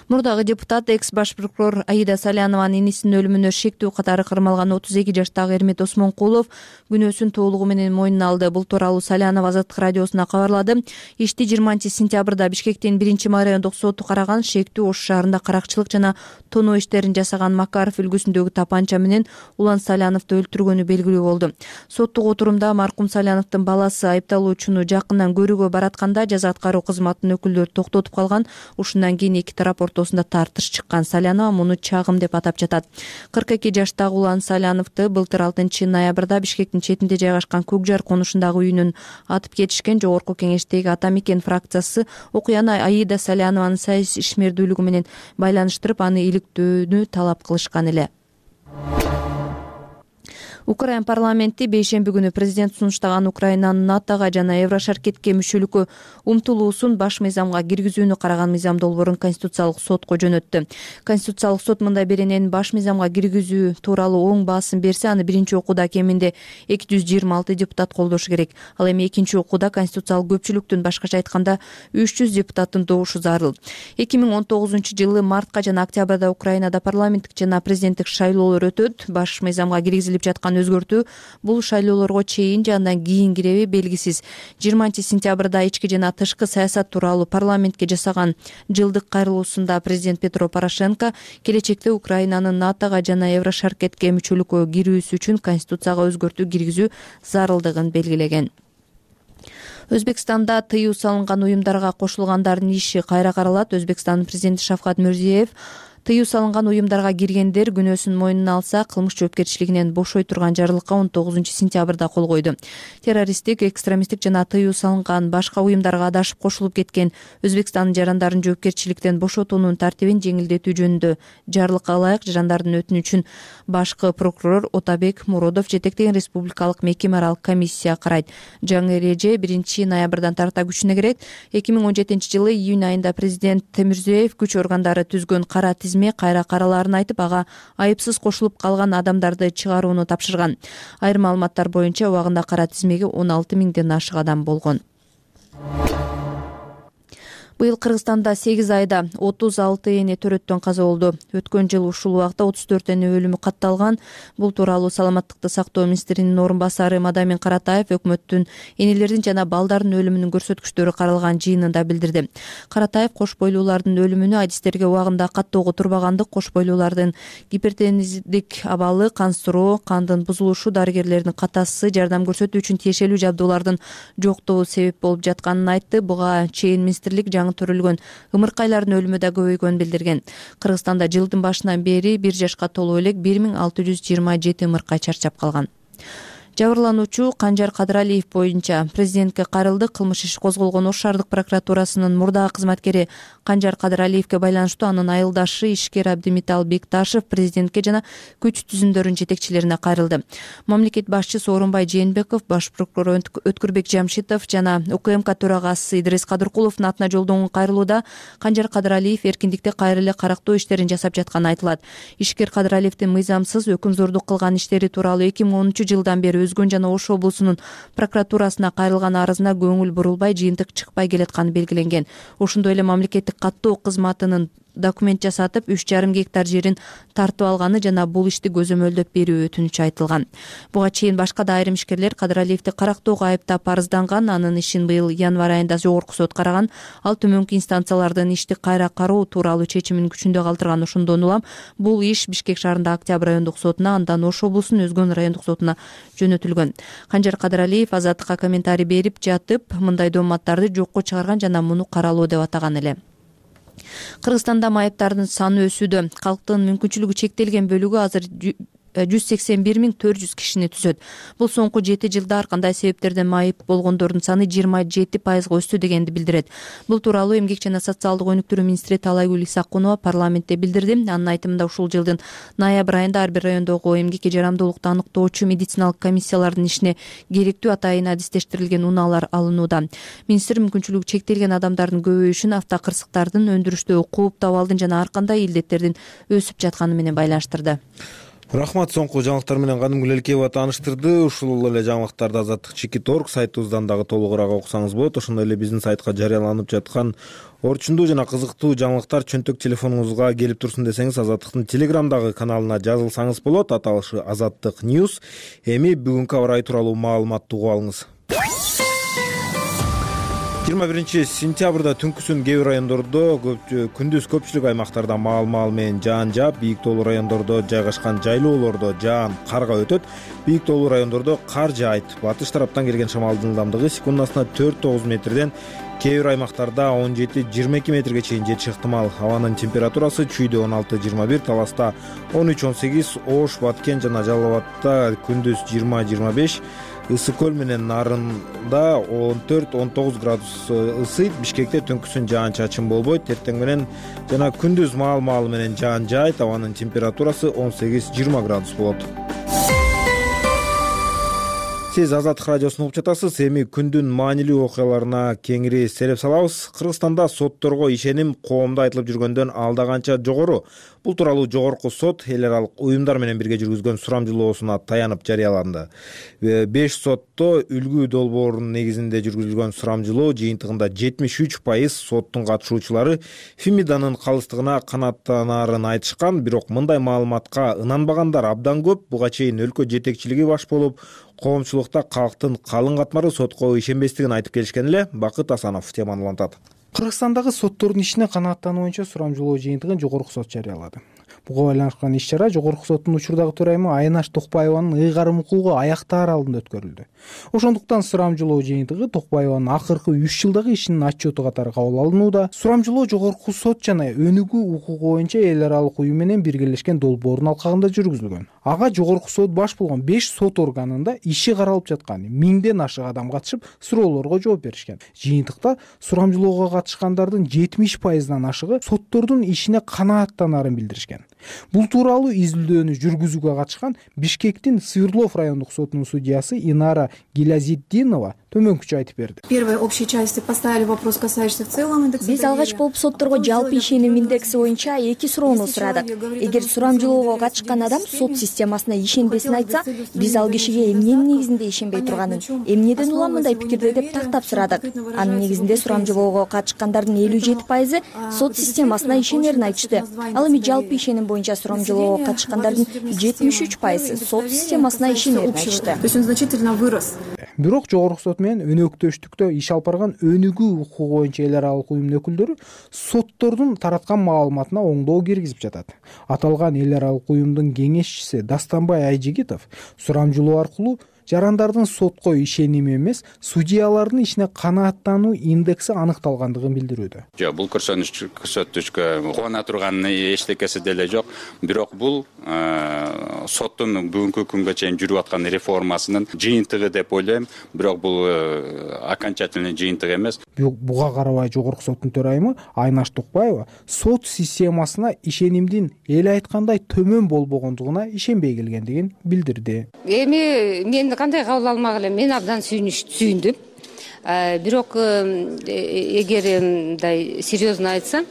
Мурдагы депутат, экс баш прокурор Аида Салянованын инисинин өлүмүнө шектүү катары кармалган отуз эки жаштагы Эрмет Осмонкулов күнөөсүн толугу менен мойнуна алды. Бул тууралуу Салянова Азаттык радиосуна кабарлады. Ишти жыйырманчы сентябрда Бишкектин биринчи райондук соту караган. Шектүү Ош шаарында каракчылык жана тоноо иштерин жасаган Макаров үлгүсүндөгү тапанча менен Улан Саляновду өлтүргөнү белгилүү болду. Соттук отурумда маркум Саляновдун баласы айыпталуучуну жакындан көрүүгө баратканда жаза аткаруу кызматынын өкүлдөрү токтотуп калган. Ушундан кийин эки тарап ортосунда тартыш чыккан. Салянова муну чагым деп атап жатат. кырк эки жаштагы Улан Саляновду былтыр алтынчы ноябрда Бишкектин четинде жайгашкан Көкжар конушундагы үйүнөн атып кетишкен. Жогорку кеңештеги Ата Мекен фракциясы окуяны Аида Салянованын саясий ишмердүүлүгү менен байланыштырып, аны иликтөөнү талап кылышкан эле. Украин парламенти бейшемби күнү президент сунуштаган Украинанын НАТОга жана Еврошаркетке мүчөлүккө умтулуусун баш мыйзамга киргизүүнү караган мыйзам долбоорун Конституциялык сотко жөнөттү. Конституциялык сот мындай беренени баш мыйзамга киргизүү тууралуу оң баасын берсе, аны биринчи окууда кеминде эки жүз жыйырма алты депутат колдошу керек. Ал эми экинчи окууда конституциялык көпчүлүктүн, башкача айтканда үч жүз депутаттын добушу зарыл. эки миң он тогузунчу жылы мартка жана октябрда Украинада парламенттик жана президенттик шайлоолор өтөт. Баш мыйзамга киргизилип жаткан конституцияны өзгөртүү бул шайлоолорго чейин же андан кийин киреби белгисиз. жыйырманчы сентябрда ички жана тышкы саясат тууралуу парламентке жасаган жылдык кайрылуусунда президент Петро Порошенко келечекте Украинанын НАТОго жана Еврошаркетке мүчөлүккө кирүүсү үчүн конституцияга өзгөртүү киргизүү зарылдыгын белгилеген. Өзбекстанда тыюу салынган уюмдарга кошулгандардын иши кайра каралат. Өзбекстандын президенти Шавкат Мирзиеев тыюу салынган уюмдарга киргендер күнөөсүн мойнуна алса кылмыш жоопкерчилигинен бошой турган жарлыкка он тогузунчу сентябрда кол койду. Террористтик, экстремисттик жана тыюу салынган башка уюмдарга адашып кошулуп кеткен Өзбекстандын жарандарын жоопкерчиликтен бошотуунун тартибин жеңилдетүү жөнүндө жарлыкка ылайык жарандардын өтүнүчүн башкы прокурор Отабек Муродов жетектеген республикалык мекеме аралык комиссия карайт. Жаңы эреже биринчи ноябрдан тарта күчүнө кирет. эки миң он жетинчи жылы июнь айында президент Мирзиеев күч органдары түзгөн кара тизме кайра каралаарын айтып, ага айыпсыз кошулуп калган адамдарды чыгарууну тапшырган. Айрым маалыматтар боюнча убагында кара тизмеге он алты миңден ашык адам болгон. Быйыл Кыргызстанда сегиз айда отуз алты эне төрөттөн каза болду. Өткөн жыл ушул убакта отуз төрт эне өлүмү катталган. Бул тууралуу саламаттыкты сактоо министринин орун басары Мадамин Каратаев өкмөттүн энелердин жана балдардын өлүмүнүн көрсөткүчтөрү каралган жыйынында билдирди. Каратаев кош бойлуулардын өлүмүнө адистерге убагында каттоого турбагандык, кош бойлуулардын гипертензивдик абалы, кансыроо, кандын бузулушу, дарыгерлердин катасы жардам көрсөтүү үчүн тиешелүү жабдуулардын жоктугу себеп болуп жатканын айтты. Буга чейин министрлик төрөлгөн ымыркайлардын өлүмү да көбөйгөнүн билдирген. Кыргызстанда жылдын башынан бери бир жашка толуп элек бир миң алты жүз жыйырма жети ымыркай чарчап калган. Жабырлануучу Канжар Кадыралиев боюнча президентке кайрылды. Кылмыш иши козголгон Ош шаардык прокуратурасынын мурдагы кызматкери Канжар Кадыралиевке байланыштуу анын айылдашы ишкер Абдимитал Бекташев президентке жана күч түзүмдөрүнүн жетекчилерине кайрылды. Мамлекет башчысы Орунбай Жээнбеков, баш прокурор Өткүрбек Жамшитов жана УКМК төрагасы Идрис Кадыркуловдун атына жолдонгон кайрылууда Канжар Кадыралиев эркиндикте кайра эле карактоо иштерин жасап жатканы айтылат. Ишкер Кадыралиевдин мыйзамсыз өкүмзордук кылган иштери тууралуу эки миң онунчу жылдан бери Өзгөн жана Ош облусунун прокуратурасына кайрылган арызына көңүл бурулбай, жыйынтык чыкпай келатканы белгиленген. Ошондой эле мамлекеттик каттоо кызматынын документ жасатып үч жарым гектар жерин тартып алганы жана бул ишти көзөмөлдөп берүү өтүнүчү айтылган. Буга чейин башка да айрым ишкерлер Кадыралиевди карактоого айыптап арызданган. Анын ишин быйыл январь айында жогорку сот караган. Ал төмөнкү инстанциялардын ишти кайра кароо тууралуу чечимин күчүндө калтырган. Ошондон улам бул иш Бишкек шаарындагы Октябрь райондук сотуна, андан Ош облусунун Өзгөн райондук сотуна жөнөтүлгөн. Канжар Кадыралиев азаттыкка комментарий берип жатып, мындай дооматтарды жокко чыгарган жана муну каралоо деп атаган эле. Кыргызстанда майыптардын саны өсүүдө. Калктын мүмкүнчүлүгү чектелген бөлүгү азыр жүз сексен бир миң төрт жүз кишини түзөт. Бул соңку жети жылда ар кандай себептерден майып болгондордун саны жыйырма жети пайызга өстү дегенди билдирет. Бул тууралуу Эмгек жана социалдык өнүктүрүү министри Талайгүл Исакунова парламентте билдирди. Анын айтымында ушул жылдын ноябрь айында ар бир райондогу эмгекке жарамдуулукту аныктоочу медициналык комиссиялардын ишине керектүү атайын адистештирилген унаалар алынууда. Министр мүмкүнчүлүгү чектелген адамдардын көбөйүшүн автокырсыктардын, өндүрүштөгү кууп табалдын жана ар кандай илдеттердин өсүп жатканы менен байланыштырды. Рахмат, соңку жаңылыктар менен Кадым Гүлелкеева тааныштырды. Ушул эле жаңылыктарды азаттык чекит точка орг сайтыбыздан дагы толугураак окусаңыз болот. Ошондой эле биздин сайтка жарыяланып жаткан орчундуу жана кызыктуу жаңылыктар чөнтөк телефонуңузга келип турсун десеңиз, Азаттыктын Телеграмдагы каналына жазылсаңыз болот. Аталышы Азаттык Ньюс. Эми бүгүнкү аба ырайы тууралуу маалыматты угуп алыңыз. жыйырма биринчи сентябрда түнкүсүн кээ бир райондордо, күндүз көпчүлүк аймактарда маал-маал менен жаан жаап, бийик тоолуу райондордо жайгашкан жайлоолордо жаан карга өтөт. Бийик тоолуу райондордо кар жаайт. Батыш тараптан келген шамалдын ылдамдыгы секундасына төрт тогуз метрден, кээ бир аймактарда он жети жыйырма эки метрге чейин жетиши ыктымал. Абанын температурасы Чүйдө он алты жыйырма бир, Таласта он үч он сегиз, Ош, Баткен жана Жалал Абадта күндүз жыйырма жыйырма беш, Ысык көл менен Нарында он төрт он тогуз градус ысыйт. Бишкекте түнкүсүн жаан-чачын болбойт. Эртең менен жана күндүз маал-маал менен жаан жаайт. Абанын температурасы он сегиз жыйырма градус болот. Сиз Азаттык радиосун угуп жатасыз. Эми күндүн маанилүү окуяларына кеңири сереп салабыз. Кыргызстанда сотторго ишеним коомдо айтылып жүргөндөн алда канча жогору. Бул тууралуу жогорку сот эл аралык уюмдар менен бирге жүргүзгөн сурамжылоосуна таянып жарыяланды. Беш сотто үлгү долбоорунун негизинде жүргүзүлгөн сурамжылоо жыйынтыгында жетимиш үч пайыз соттун катышуучулары Фемиданын калыстыгына канааттанаарын айтышкан, бирок мындай маалыматка ынанбагандар абдан көп. Буга чейин өлкө жетекчилиги баш болуп, коомчулукта калктын калың катмары сотко ишенбестигин айтып келишкен эле. Бакыт Асанов теманы улантат. Кыргызстандагы соттордун ишине канааттануу боюнча сурамжылоо жыйынтыгын жогорку сот жарыялады. Буга байланышкан иш-чара жогорку соттун учурдагы төрайымы Айнаш Токпаеванын ыйгарым укугу аяктаар алдында өткөрүлдү. Ошондуктан сурамжылоо жыйынтыгы Токпаеванын акыркы үч жылдагы ишинин отчету катары кабыл алынууда. Сурамжылоо жогорку сот жана өнүгүү укугу боюнча эл аралык уюм менен биргелешкен долбоордун алкагында жүргүзүлгөн. Ага жогорку сот баш болгон беш сот органында иши каралып жаткан миңден ашык адам катышып, суроолорго жооп беришкен. Жыйынтыкта сурамжылоого катышкандардын жетимиш пайызынан ашыгы соттордун ишине канааттанаарын билдиришкен. Бул тууралуу изилдөөнү жүргүзүүгө катышкан Бишкектин Свердлов райондук сотунун судьясы Инара Гилязитдинова төмөнкүчө айтып берди. Первой общей части поставили вопрос, касающийся в целом индекса. Биз алгач болуп сотторго жалпы ишеним индекси боюнча эки суроону сурадык. Эгер сурамжылоого катышкан адам сот системасына ишенбесин айтса, биз ал кишиге эмненин негизинде ишенбей турганын, эмнеден улам мындай пикирде деп тактап сурадык. Анын негизинде сурамжылоого катышкандардын элүү жети пайызы сот системасына ишенерин айтышты. Ал эми жалпы ишеним боюнча сурамжылоого катышкандардын жетимиш үч пайызы сот системасына ишенерин айтышты. То есть он значительно вырос. Бирок жогорку сот менен өнөктөштүктө иш алып барган өнүгүү укугу боюнча эл аралык уюмдун өкүлдөрү соттордун тараткан маалыматына оңдоо киргизип жатат. Аталган эл аралык уюмдун кеңешчиси Дастанбай Айжигитов сурамжылоо аркылуу жарандардын сотко ишеними эмес, судьялардын ишине канааттануу индекси аныкталгандыгын билдирүүдө. Жок, бул көрсөтүшкө кубана турган эчтекеси деле жок. Бирок бул соттун бүгүнкү күнгө чейин жүрүп аткан реформасынын жыйынтыгы деп ойлойм. Бирок бул окончательный жыйынтык эмес. Буга карабай жогорку соттун төрайымы Айнаш Токпаева сот системасына ишенимдин эл айткандай төмөн болбогондугуна ишенбей келгендигин билдирди. Эми мен кандай кабыл алмак элем, мен абдан сүйүндүм. Бирок эгер мындай серьезно айтсам,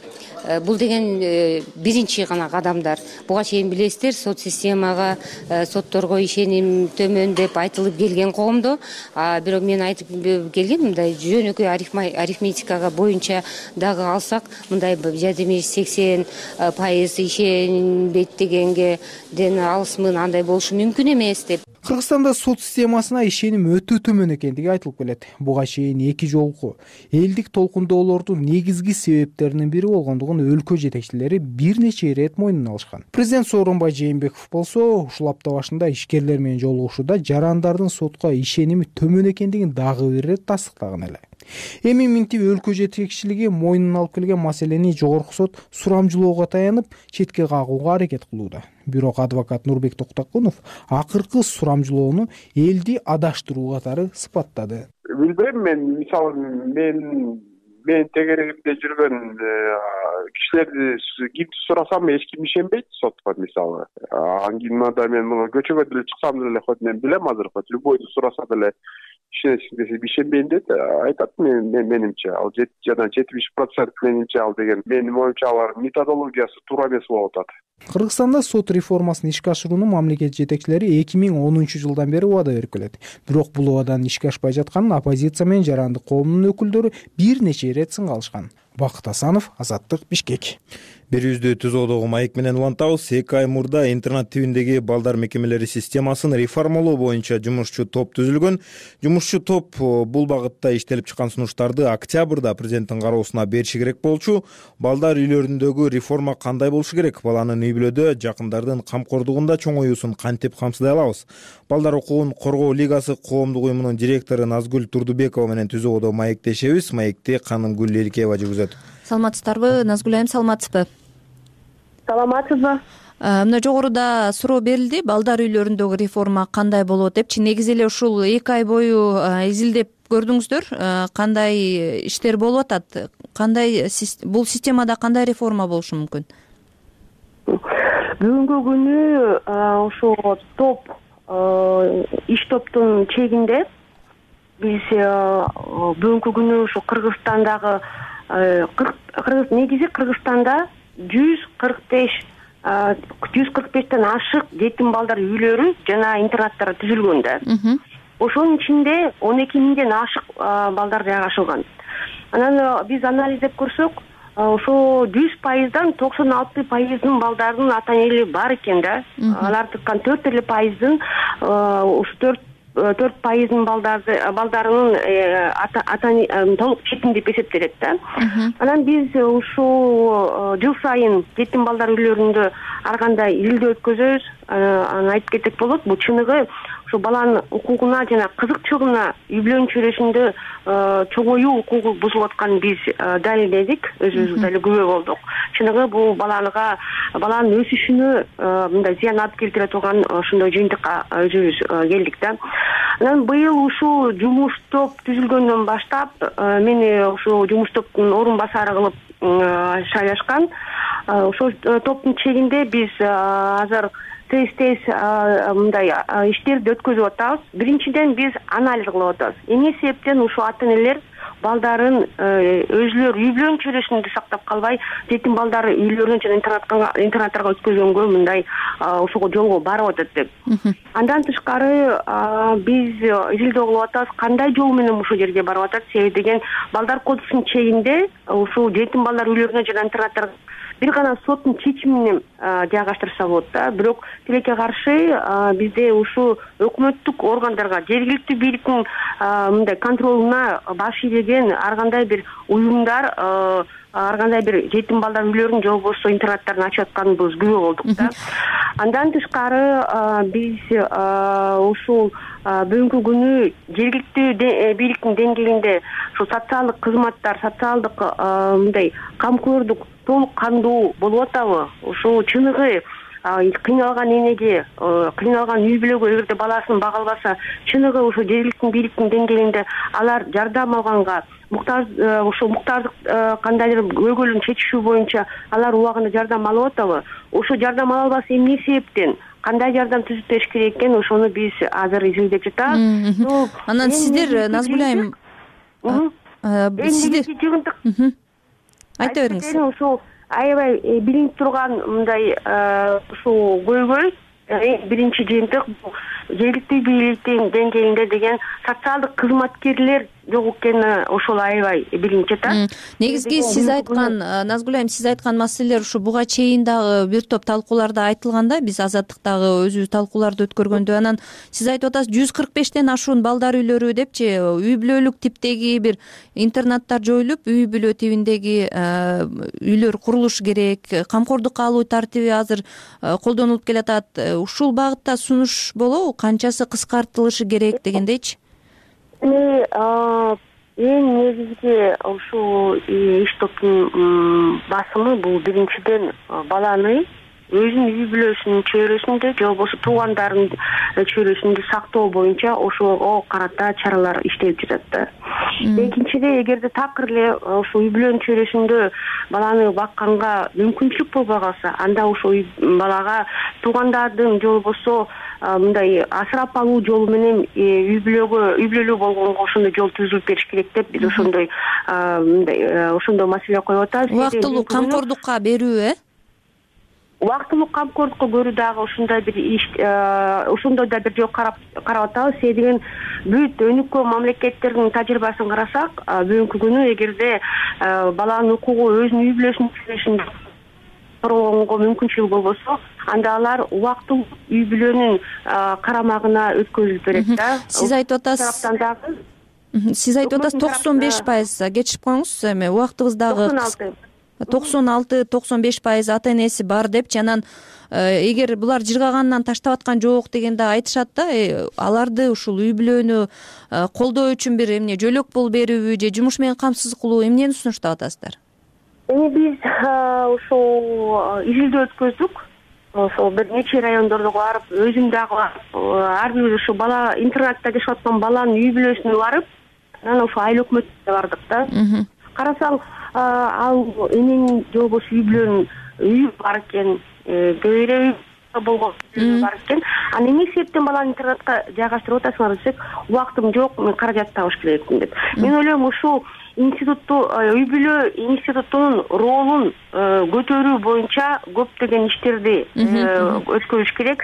бул деген биринчи гана кадамдар. Буга чейин билесиздер, сот системага, сотторго ишеним төмөн деп айтылып келген коомдо. Бирок мен айтып келгем, мындай жөнөкөй арифметикага боюнча дагы алсак, мындай жетимиш сексен пайыз ишенбейт дегенге ден алысмын, андай болушу мүмкүн эмес деп. Кыргызстанда сот системасына ишеним өтө төмөн экендиги айтылып келет. Буга чейин эки жолку элдик толкундоолордун негизги себептеринин бири болгондугун өлкө жетекчилери бир нече ирет мойнуна алышкан. Президент Сооронбай Жээнбеков болсо ушул апта башында ишкерлер менен жолугушууда жарандардын сотко ишеними төмөн экендигин дагы бир ирет тастыктаган эле. Эми минтип өлкө жетекчилиги мойнуна алып келген маселени жогорку сот сурамжылоого таянып четке кагууга аракет кылууда. Бирок адвокат Нурбек Токтокунов акыркы сурамжылоону элди адаштыруу катары сыпаттады. Билбейм, мен мисалы мен мен тегерегимде жүргөн кишилерди кимди сурасам эч ким ишенбейт сотко мисалы. Аңгимада мен муну көчөгө деле чыксам деле хоть мен билем азыр, хоть любойду сураса деле ишенесиң десе ишенбейм дейт, айтат мен менимче. Ал жана жетимиш процент менимче ал деген менин оюмча алар методологиясы туура эмес болуп атат. Кыргызстанда сот реформасын ишке ашырууну мамлекет жетекчилери эки миң онунчу жылдан бери убада берип келет. Бирок бул убаданын ишке ашпай жатканын оппозиция менен жарандык коомдун өкүлдөрү бир нече ирет сынга алышкан. Бакыт Асанов, Азаттык, Бишкек. Берүүбүздү түзүүдөгү маек менен улантабыз. Эки ай мурда интернат тибиндеги балдар мекемелери системасын реформалоо боюнча жумушчу топ түзүлгөн. Жумушчу топ бул багытта иштелип чыккан сунуштарды октябрда президенттин кароосуна бериши керек болчу. Балдар үйлөрүндөгү реформа кандай болушу керек? Баланын үй бүлөдө жакындардын камкордугунда чоңоюусун кантип камсыздай алабыз? Балдар укугун коргоо лигасы коомдук уюмунун директору Назгүл Турдубекова менен түзүүдө маектешебиз. Маекти Канымгүл Эликеева жүргүзөт. Саламатсыздарбы? Назгүл айым, саламатсызбы? Саламатсызбы? Мына жогоруда суроо берилди, балдар үйлөрүндөгү реформа кандай болот депчи. Негизи эле ушул эки ай бою изилдеп көрдүңүздөр, кандай иштер болуп атат? Кандай бул системада кандай реформа болушу мүмкүн? Бүгүнкү күнү ошо топ иш топтун чегинде биз бүгүнкү күнү ушу Кыргызстандагы кыргыз негизи Кыргызстанда жүз кырк беш жүз кырк бештен ашык жетим балдар үйлөрү жана интернаттар түзүлгөн да. Ошонун ичинде он эки миңден ашык балдар жайгашылган. Анан биз анализдеп көрсөк, ошо жүз пайыздан токсон алты пайыздын балдардын ата энеси бар экен да. Алардыкан төрт эле пайыздын ушу төрт төрт пайыздын балдарды балдарынын ата толук жетим деп эсептелет да. Анан биз ушул жыл сайын жетим балдар үйлөрүндө ар кандай илдөө өткөзөбүз. Аны айтып кетсек болот. Бул чыныгы ушу баланын укугуна жана кызыкчылыгына үй бүлөнүн чөйрөсүндө чоңоюу укугу бузулуп атканын биз далилдедик, өзүбүз дали күбө болдук. Чыныгы бул баланга баланын өсүшүнө мындай зыян алып келтире турган ошондой жыйынтыкка өзүбүз келдик да. Анан быйыл ушул жумуш топ түзүлгөндөн баштап мени ушул жумуш топтун орун басары кылып шайлашкан. Ошол топтун чегинде биз азыр тез-тез мындай иштерди өткөзүп атабыз. Биринчиден биз анализ кылып атабыз. Эмне себептен ушул ата энелер балдарын өзүлөр үй бүлөнүн чөйрөсүндө сактап калбай, жетим балдары үйлөрүнө жана интернаттарга өткөзгөнгө мындай ушуга жолго барып атат деп. Андан тышкары биз изилдөө кылып атабыз, кандай жол менен ушул жерге барып атат. Себеби деген балдар кодексинин чегинде ушул жетим балдар үйлөрүнө жана интернаттарга бир гана соттун чечими менен жайгаштырса болот да. Бирок тилекке каршы бизде ушул өкмөттүк органдарга, жергиликтүү бийликтин мындай контролуна баш ийген ар кандай бир уюмдар, ар кандай бир жетим балдар үйлөрүн же болбосо интернаттарын ачып атканыбыз күбө болдук да. Андан тышкары биз ушул бүгүнкү күнү жергиликтүү бийликтин деңгээлинде ушул социалдык кызматтар, социалдык мындай камкордук толук кандуу болуп атабы? Ушул чыныгы кыйналган энеге, кыйналган үй бүлөгө эгерде баласын бага албаса, чыныгы ушул жергиликтүү бийликтин деңгээлинде алар жардам алганга, муктаж ушул муктаждык кандайдыр көйгөйлүн чечишүү боюнча алар убагында жардам алып атабы? Ошо жардам ала албаса эмне себептен? Кандай жардам түзүп бериш керек экен, ошону биз азыр изилдеп жатабыз. Анан сиздер Назгүл айым сиздер айта бериңиз. Ушул аябай билинип турган мындай ушул көйгөй биринчи жыйынтык жергиликтүү бийликтин деңгээлинде деген социалдык кызматкерлер жок экени ошол аябай билинип жатат. Негизги сиз айткан, Назгүл айым, сиз айткан маселелер ушу буга чейин дагы бир топ талкууларда айтылган да, биз Азаттыктагы өзүбүз талкууларды өткөргөндө. Анан сиз айтып атасыз, жүз кырк бештен ашуун балдар үйлөрү депчи, үй бүлөлүк типтеги бир интернаттар жоюлуп, үй бүлө тибиндеги үйлөр курулушу керек, камкордукка алуу тартиби азыр колдонулуп келатат. Ушул багытта сунуш болобу? Канчасы кыскартылышы керек дегендейчи? Эми эң негизги ушул иш топтун басымы бул биринчиден баланы өзүнүн үй бүлөсүнүн чөйрөсүндө же болбосо туугандарынын чөйрөсүндө сактоо боюнча ошого карата чаралар иштелип жатат да. Экинчиде, эгерде такыр эле ушул үй бүлөнүн чөйрөсүндө баланы бакканга мүмкүнчүлүк болбой калса, анда ушул балага туугандардын же болбосо мындай асырап алуу жолу менен үй бүлөгө үй бүлөлүү болгонго ошондой жол түзүлүп бериш керек деп биз ошондой мындай ошондой маселе коюп атабыз. Убактылуу камкордукка берүү, э? Убактылуу камкордукка көрүү дагы ушундай бир иш, ошондой да бир жол карап карап атабыз. Себеби деген бүт өнүккөн мамлекеттердин тажрыйбасын карасак, бүгүнкү күнү эгерде баланын укугу өзүнүн үй бүлөсүнүн чөйрөсүндө коргонго мүмкүнчүлүгү болбосо, анда алар убактылуу үй бүлөнүн карамагына өткөзүлүп берет да. Сиз айтып атасыз. Сиз айтып атасыз токсон беш пайыз, кечирип коюңуз, эми убактыбыздагы токсон алты токсон беш пайыз ата энеси бар депчи. Анан эгер булар жыргагандан таштап аткан жок дегенде айтышат да, аларды ушул үй бүлөнү колдоо үчүн бир эмне жөлөк пул берүүбү же жумуш менен камсыз кылуу, эмнени сунуштап атасыздар? Эми биз ушул изилдөө өткөздүк. Ошол бир нече райондордо барып, өзүм дагы ар бир ушу бала интернатта жашап аткан баланын үй бүлөсүнө барып, анан ошо айыл өкмөтүнө бардык да. Карасаң, ал эненин же болбосо үй бүлөнүн үйү бар экен, көйрөй болгон бар экен. Анан эмне себептен баланы интернатка жайгаштырып атасыңар десек, убактым жок, мен каражат табыш керекмин деп. Мен ойлойм, ушул институтту, үй бүлө институтунун ролун көтөрүү боюнча көптөгөн иштерди өткөрүш керек.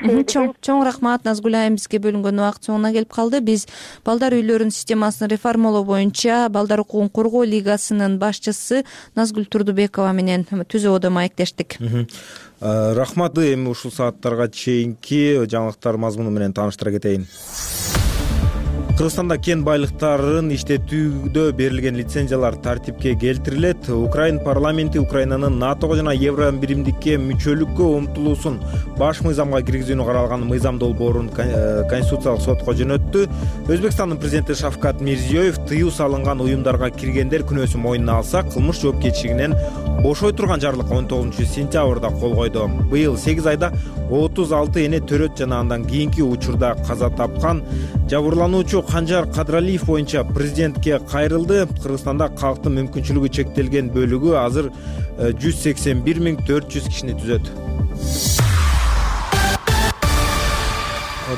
Чоң рахмат Назгүл айым, бизге бөлүнгөн убакыт соңуна келип калды. Биз балдар үйлөрүнүн системасын реформалоо боюнча Балдар укугун коргоо лигасынын башчысы Назгүл Турдубекова менен түзүүдө маектештик. Рахмат. Эми ушул сааттарга чейинки жаңылыктар мазмуну менен тааныштыра кетейин. Кыргызстанда кен байлыктарын иштетүүдө берилген лицензиялар тартипке келтирилет. Украин парламенти Украинанын НАТОго жана Евро биримдикке мүчөлүккө умтулуусун баш мыйзамга киргизүүнү каралган мыйзам долбоорун Конституциялык сотко жөнөттү. Өзбекстандын президенти Шавкат Мирзиёев тыюу салынган уюмдарга киргендер күнөөсүн мойнуна алса, кылмыш жоопкерчилигинен бошой турган жарлыкка он тогузунчу сентябрда кол койду. Быйыл сегиз айда отуз алты эне төрөт жана андан кийинки учурда каза тапкан жабырлануучу Канжар Кадралиев боюнча президентке кайрылды. Кыргызстанда калктын мүмкүнчүлүгү чектелген бөлүгү азыр жүз сексен бир миң төрт жүз кишини түзөт.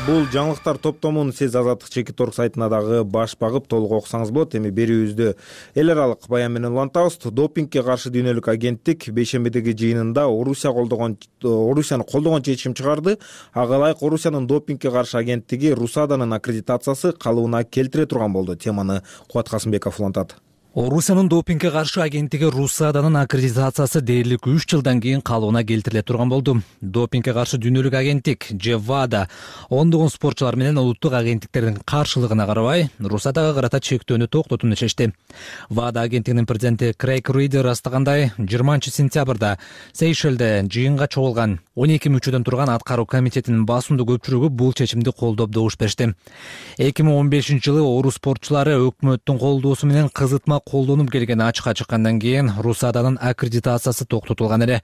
Бул жаңылыктар топтомун сиз Азаттык Чекит орг сайтына дагы баш багып толук окусаңыз болот. Эми берүүбүздү эл аралык баян менен улантабыз. Допингге каршы дүйнөлүк агенттик бейшембидеги жыйынында Орусия колдогон Орусияны колдогон чечим чыгарды. Ага ылайык Орусиянын допингге каршы агенттиги Русаданын аккредитациясы калыбына келтире турган болду. Теманы Кубат Касымбеков улантат. Орусиянын допингге каршы агенттиги Русаданын аккредитациясы дээрлик үч жылдан кийин калыбына келтириле турган болду. Допингге каршы дүйнөлүк агенттик же ВАДА ондогон спортчулар менен улуттук агенттиктердин каршылыгына карабай Русадага карата чектөөнү токтотууну чечти. ВАДА агенттигинин президенти Крейг Ридер растагандай, жыйырманчы сентябрда Сейшелде жыйынга чогулган он эки мүчөдөн турган аткаруу комитетинин басымдуу көпчүлүгү бул чечимди колдоп добуш беришти. эки миң он бешинчи жылы орус спортчулары өкмөттүн колдоосу менен кызытма колдонуп келген ачыкка чыккандан кийин Русаданын аккредитациясы токтотулган эле.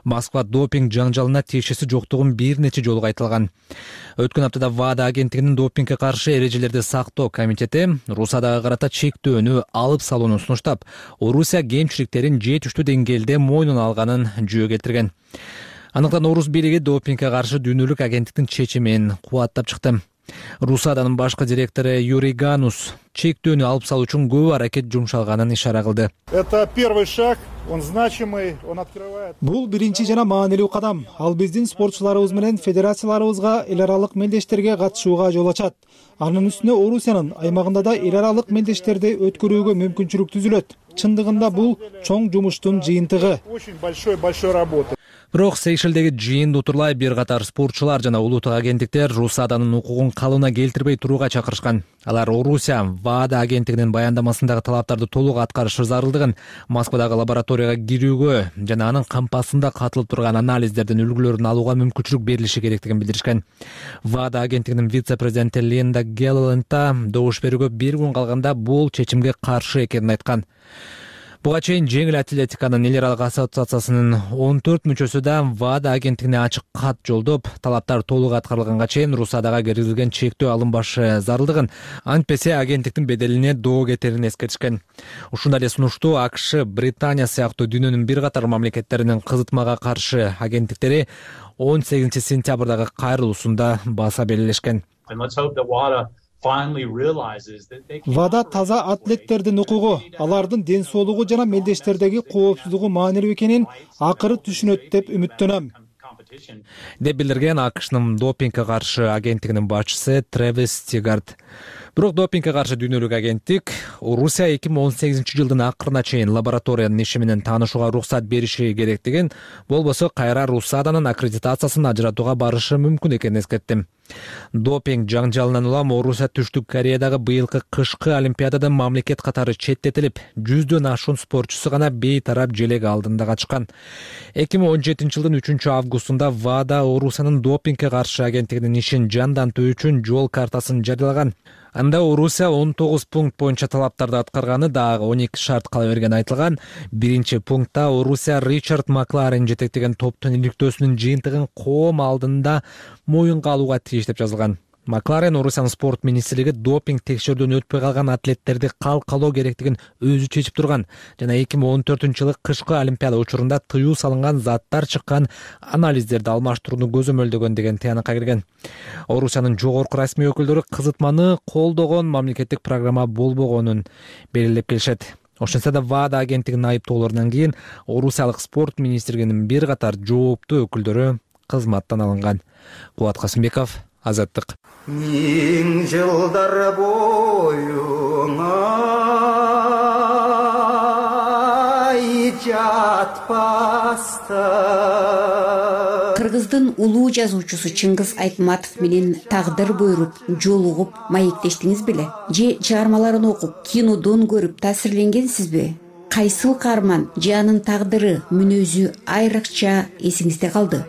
Москва допинг жаңжалына тиешеси жоктугун бир нече жолу айтылган. Өткөн аптада ВАДА агенттигинин допингге каршы эрежелерди сактоо комитети Русадага карата чектөөнү алып салууну сунуштап, Орусия кемчиликтерин жетиштүү деңгээлде мойнуна алганын жүйө келтирген. Аныктан орус бийлиги допингге каршы дүйнөлүк агенттиктин чечимин кубаттап чыкты. Русаданын башкы директору Юрий Ганус чектөөнү алып салуу үчүн көп аракет жумшалганын ишара кылды. Это первый шаг, он значимый, он открывает. Бул биринчи жана маанилүү кадам. Ал биздин спортчуларыбыз менен федерацияларыбызга эл аралык мелдештерге катышууга жол ачат. Анын үстүнө Орусиянын аймагында да эл аралык мелдештерди өткөрүүгө мүмкүнчүлүк түзүлөт. Чындыгында бул чоң жумуштун жыйынтыгы. Очень большой большой работа. Бирок Сейшелдеги жыйынды утурлай бир катар спортчулар жана улуттук агенттиктер Русаданын укугун калыбына келтирбей турууга чакырышкан. Алар Орусия ВАДА агенттигинин баяндамасындагы талаптарды толук аткарышы зарылдыгын, Москвадагы лабораторияга кирүүгө жана анын кампасында катылып турган анализдердин үлгүлөрүн алууга мүмкүнчүлүк берилиши керектигин билдиришкен. ВАДА агенттигинин вице-президенти Линда Гелланд добуш берүүгө бир күн калганда бул чечимге каршы экенин айткан. Буга чейин жеңил атлетиканын эл аралык ассоциациясынын он төрт мүчөсү да ВАДА агенттигине ачык кат жолдоп, талаптар толук аткарылганга чейин Русадага киргизилген чектөө алынбашы зарылдыгын, антпесе агенттиктин беделине доо кетерин эскертишкен. Ушундай эле сунушту АКШ, Британия сыяктуу дүйнөнүн бир катар мамлекеттеринин кызытмага каршы агенттиктери он сегизинчи сентябрдагы кайрылуусунда баса белгилешкен. ВАДА таза атлеттердин укугу, алардын ден соолугу жана мелдештердеги коопсуздугу маанилүү экенин акыры түшүнөт деп үмүттөнөм, деп билдирген АКШнын допингге каршы агенттигинин башчысы Тревис Тигард. Бирок допингге каршы дүйнөлүк агенттик Орусия эки миң он сегизинчи жылдын акырына чейин лабораториянын иши менен таанышууга уруксат бериши керектигин, болбосо кайра Русаданын аккредитациясын ажыратууга барышы мүмкүн экенин эскертти. Допинг жаңжалынан улам Орусия Түштүк Кореядагы быйылкы кышкы олимпиададан мамлекет катары четтетилип, жүздөн ашуун спортчусу гана бейтарап желек алдында качкан. эки миң он жетинчи жылдын үчүнчү августунда ВАДА Орусиянын допингге каршы агенттигинин ишин жандантуу үчүн жол картасын жарыялаган. Анда Орусия он тогуз пункт боюнча талаптарды аткарганы, дагы он эки шарт кала бергени айтылган. Биринчи пунктта Орусия Ричард Макларен жетектеген топтун иликтөөсүнүн жыйынтыгын коом алдында моюнга алууга тийиш деп жазылган. Макларен Орусиянын спорт министрлиги допинг текшерүүдөн өтпөй калган атлеттерди калкалоо керектигин өзү чечип турган жана эки миң он төртүнчү жылы кышкы олимпиада учурунда тыюу салынган заттар чыккан анализдерди алмаштырууну көзөмөлдөгөн деген тыянакка кирген. Орусиянын жогорку расмий өкүлдөрү кызытманы колдогон мамлекеттик программа болбогонун белгилеп келишет. Ошентсе да ВАДА агенттигинин айыптоолорунан кийин Орусиялык спорт министрлигинин бир катар жооптуу өкүлдөрү кызматтан алынган. Кубат Касымбеков, Азаттык. Миң жылдар боюңа жатпаста. Кыргыздын улуу жазуучусу Чыңгыз Айтматов менен тагдыр буйруп, жолугуп, маектештиңиз беле? Же чыгармаларын окуп, кинодон көрүп таасирленгенсизби? Кайсыл каарман же анын тагдыры, мүнөзү айрыкча эсиңизде калды?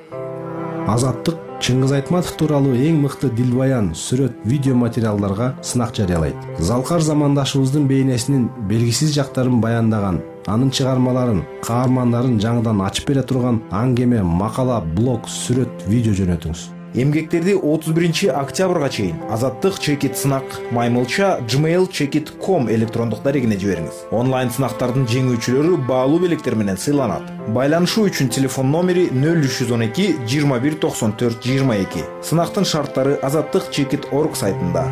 Азаттык Чыңгыз Айтматов тууралуу эң мыкты дилбаян, сүрөт, видео материалдарга сынак жарыялайт. Залкар замандашыбыздын бейнесинин белгисиз жактарын баяндаган, анын чыгармаларын, каармандарын жаңыдан ачып бере турган аңгеме, макала, блог, сүрөт, видео жөнөтүңүз. Эмгектерди отуз биринчи октябрга чейин Азаттык чекит сынак маймылча gmail чекит ком электрондук дарегине жибериңиз. Онлайн сынактардын жеңүүчүлөрү баалуу белектер менен сыйланат. Байланышуу үчүн телефон номери нөл үч жүз он эки жыйырма бир токсон төрт жыйырма эки. Сынактын шарттары азаттык чекит точка орг сайтында.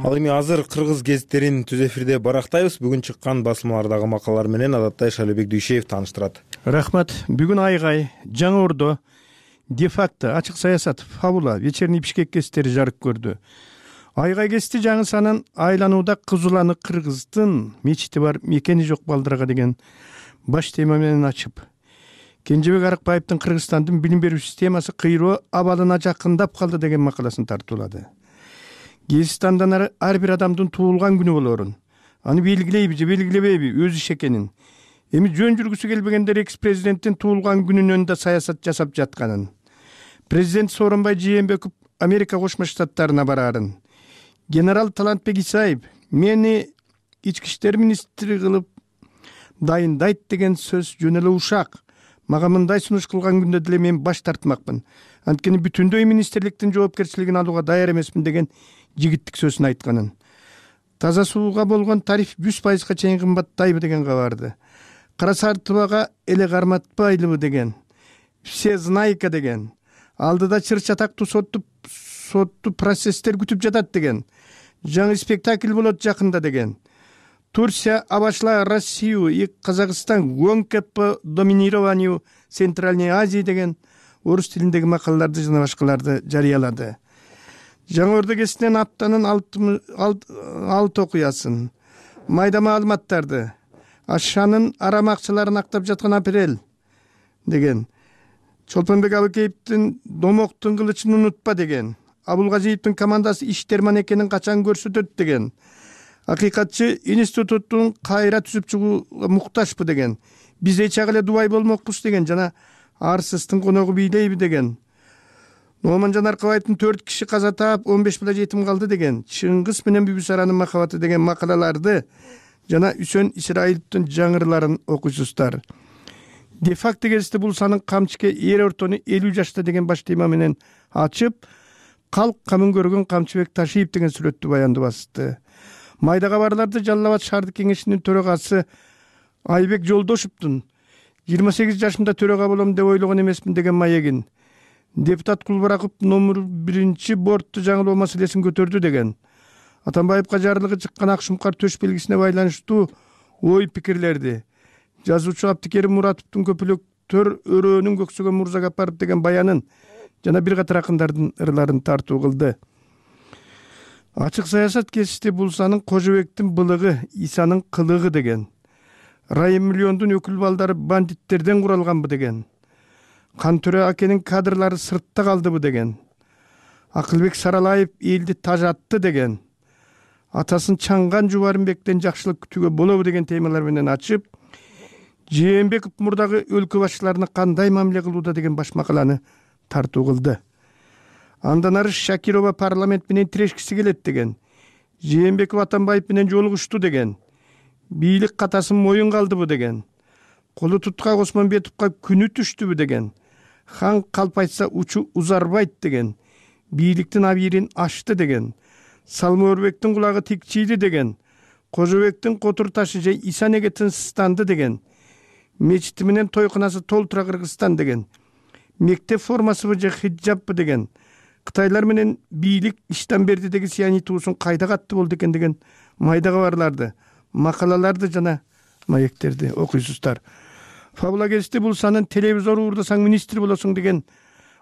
Ал эми азыр кыргыз гезиттерин түз эфирде барактайбыз. Бүгүн чыккан басылмалардагы макалалар менен Адаттай Шалыбек Дүйшеев тааныштырат. Рахмат. Бүгүн Айгай, Жаңы Ордо, де-факто, ачык саясат, фабула, вечерний Бишкек гезиттери жарык көрдү. Айгай гезити жаңы санын айланууда Кызуланы Кыргыздын мечити бар, мекени жок балдарга деген баш тема менен ачып, Кенжебек Арыкбаевдин Кыргызстандын билим берүү системасы кыйроо абалына жакындап калды деген макаласын тартуулады. Гезит андан ары ар бир адамдын туулган күнү болоорун, аны белгилейби же белгилебейби өз иш экенин, эми жөн жүргүсү келбегендер экс-президенттин туулган күнүнөн да саясат жасап жатканын, президент Сооронбай Жээнбеков Америка Кошмо Штаттарына бараарын, генерал Талантбек Исаев мени ички иштер министри кылып дайындайт деген сөз жөн эле ушак. Мага мындай сунуш кылган күндө деле мен баш тартмакмын. Анткени бүтүндөй министрликтин жоопкерчилигин алууга даяр эмесмин деген жигиттик сөзүн айтканын. Таза сууга болгон тариф жүз пайызга чейин кымбаттайбы деген кабарды. Кара сартыбага эле карматпайлыбы деген. Все знайка деген. Алдыда чыр чатактуу сотту сотту процесстер күтүп жатат деген. Жаңы спектакль болот жакында деген. Турция обошла Россию и Казахстан гонка по доминированию Центральной Азии деген орус тилиндеги макалаларды жана башкаларды жарыялады. Жаңы Ордо гезитинен аптанын алты окуясын, майда маалыматтарды, Ашанын арамакчыларын актап жаткан апрель деген, Чолпонбек Абыкеевдин домоктун кылычын унутпа деген, Абулгазиевдин командасы иштерман экенин качан көрсөтөт деген, Акыйкатчы институттун кайра түзүп чыгууга муктажбы деген, биз эч эле дубай болмокпуз деген жана арсыздын коногу бийлейби деген, Номан Жанаркыбаевдин төрт киши каза таап, он беш бала жетим калды деген, Чыңгыз менен Бүбүсаранын махабаты деген макалаларды жана Үсөн Исраиловдун жаңырларын окуйсуздар. Де-факто гезити бул санын камчыке эр ортону элүү жашта деген баш тема менен ачып, калк камын көргөн Камчыбек Ташиев деген сүрөттү баянды басты. Майдага барларды Жалал Абад шаардык кеңешинин төрагасы Айбек Жолдошевдун жыйырма сегиз жашымда төрага болом деп ойлогон эмесмин деген маегин, депутат Кулбараков номер биринчи бортту жаңылоо маселесин көтөрдү деген, Атамбаевга жарлыгы чыккан ак шумкар төш белгисине байланыштуу ой пикирлерди, жазуучу Абдикерим Муратовдун көпөлөктөр өрөөнүн көксөгөн Мурзага апарып деген баянын жана бир катар акындардын ырларын тартуу кылды. Ачык саясат гезити бул санын Кожобектин былыгы, Исанын кылыгы деген, Райым Миллиондун өкүл балдары бандиттерден куралганбы деген, Кантөрө акенин кадрлары сыртта калдыбы деген, Акылбек Саралаев элди тажатты деген, атасын Чаңган Жубарымбектен жакшылык күтүүгө болобу деген темалар менен ачып, Жээнбеков мурдагы өлкө башчыларына кандай мамиле кылууда деген баш макаланы тартуу кылды. Андан ары Шакирова парламент менен тирешкиси келет деген, Жээнбеков Атамбаев менен жолугушту деген, бийлик катасын моюнга алдыбы деген, колу туткак Осмонбетовго күнү түштүбү деген, хан калп айтса учу узарбайт деген, бийликтин абийирин ачты деген, Салмоорбектин кулагы тикчийди деген, Кожобектин котур ташы же Исанеге тынчсызданды деген, мечити менен тойкунасы толтура Кыргызстан деген, мектеп формасыбы же хиджабпы деген, Кытайлар менен бийлик иштен берди деген сияний туусун кайда катты болду экен деген майда кабарларды, макалаларды жана маектерди окуйсуздар. Фабула гезити бул санын телевизор уурдасаң министр болосуң деген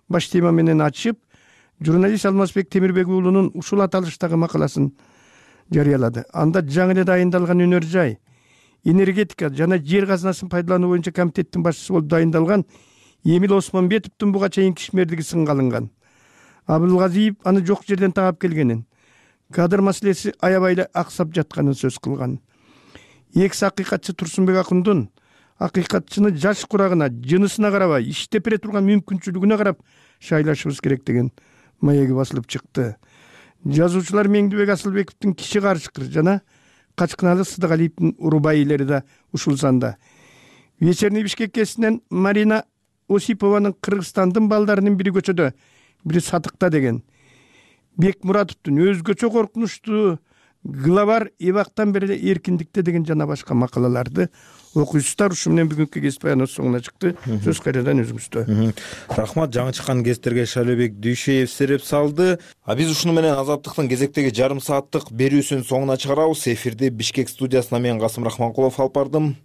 баш тема менен ачып, журналист Алмазбек Темирбек уулунун ушул аталыштагы макаласын жарыялады. Анда жаңы эле дайындалган өнөр жай, энергетика жана жер казынасын пайдалануу боюнча комитеттин башчысы болуп дайындалган Эмил Осмонбетовдун буга чейинки ишмердиги сынга алынган. Абылгазиев аны жок жерден таап келгенин, кадр маселеси аябай эле аксап жатканын сөз кылган. Экс акыйкатчы Турсунбек Акундун акыйкатчыны жаш курагына, жынысына карабай, иштеп бере турган мүмкүнчүлүгүнө карап шайлашыбыз керек деген маеги басылып чыкты. Жазуучулар Меңдибек Асылбековдун Киши карышкыр жана Качкыналы Сыдыгалиевдин урубайлери да ушул санда. Вечерний Бишкек кесинен Марина Осипованын Кыргызстандын балдарынын бири көчөдө, бири сатыкта деген. Бекмуратовдун өзгөчө коркунучтуу главар эбактан бери эркиндикте деген жана башка макалаларды окуйсуздар. Ушу менен бүгүнкү кесип баяныбыз соңуна чыкты. Сөз кайрадан өзүңүздө. Рахмат, жаңы чыккан кесиптерге Шайлообек Дүйшеев сереп салды. А биз ушуну менен Азаттыктын кезектеги жарым сааттык берүүсүнүн соңуна чыгарабыз. Эфирди Бишкек студиясына мен Касым Рахманкулов алып бардым.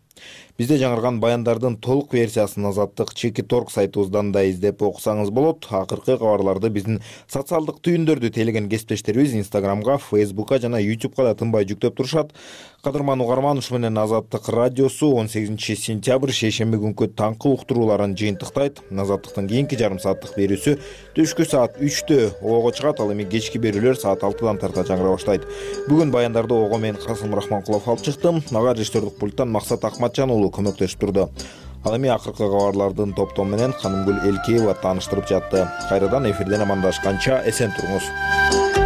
Бизде жаңырган баяндардын толук версиясын Азаттык Чеки Торг сайтыбыздан да издеп окусаңыз болот. Акыркы кабарларды биздин социалдык түйүндөрдү тейлеген кесиптештерибиз Инстаграмга, Фейсбукка жана Ютубка да тынбай жүктөп турушат. Кадырман угарман, ушу менен Азаттык радиосу он сегизинчи сентябрь шейшемби күнкү таңкы уктурууларын жыйынтыктайт. Азаттыктын кийинки жарым сааттык берүүсү түшкү саат үчтө ого чыгат, ал эми кечки берүүлөр саат алтыдан тарта жаңыра баштайт. Бүгүн баяндарды ого мен Касым Рахманкулов алып чыктым. Ага режиссердик пульттан Максат Акматжан уулу көмөктөшүп турду. Ал эми акыркы кабарлардын топтому менен Канымгүл Элкеева тааныштырып жатты. Кайрадан эфирден амандашканча эсен туруңуз.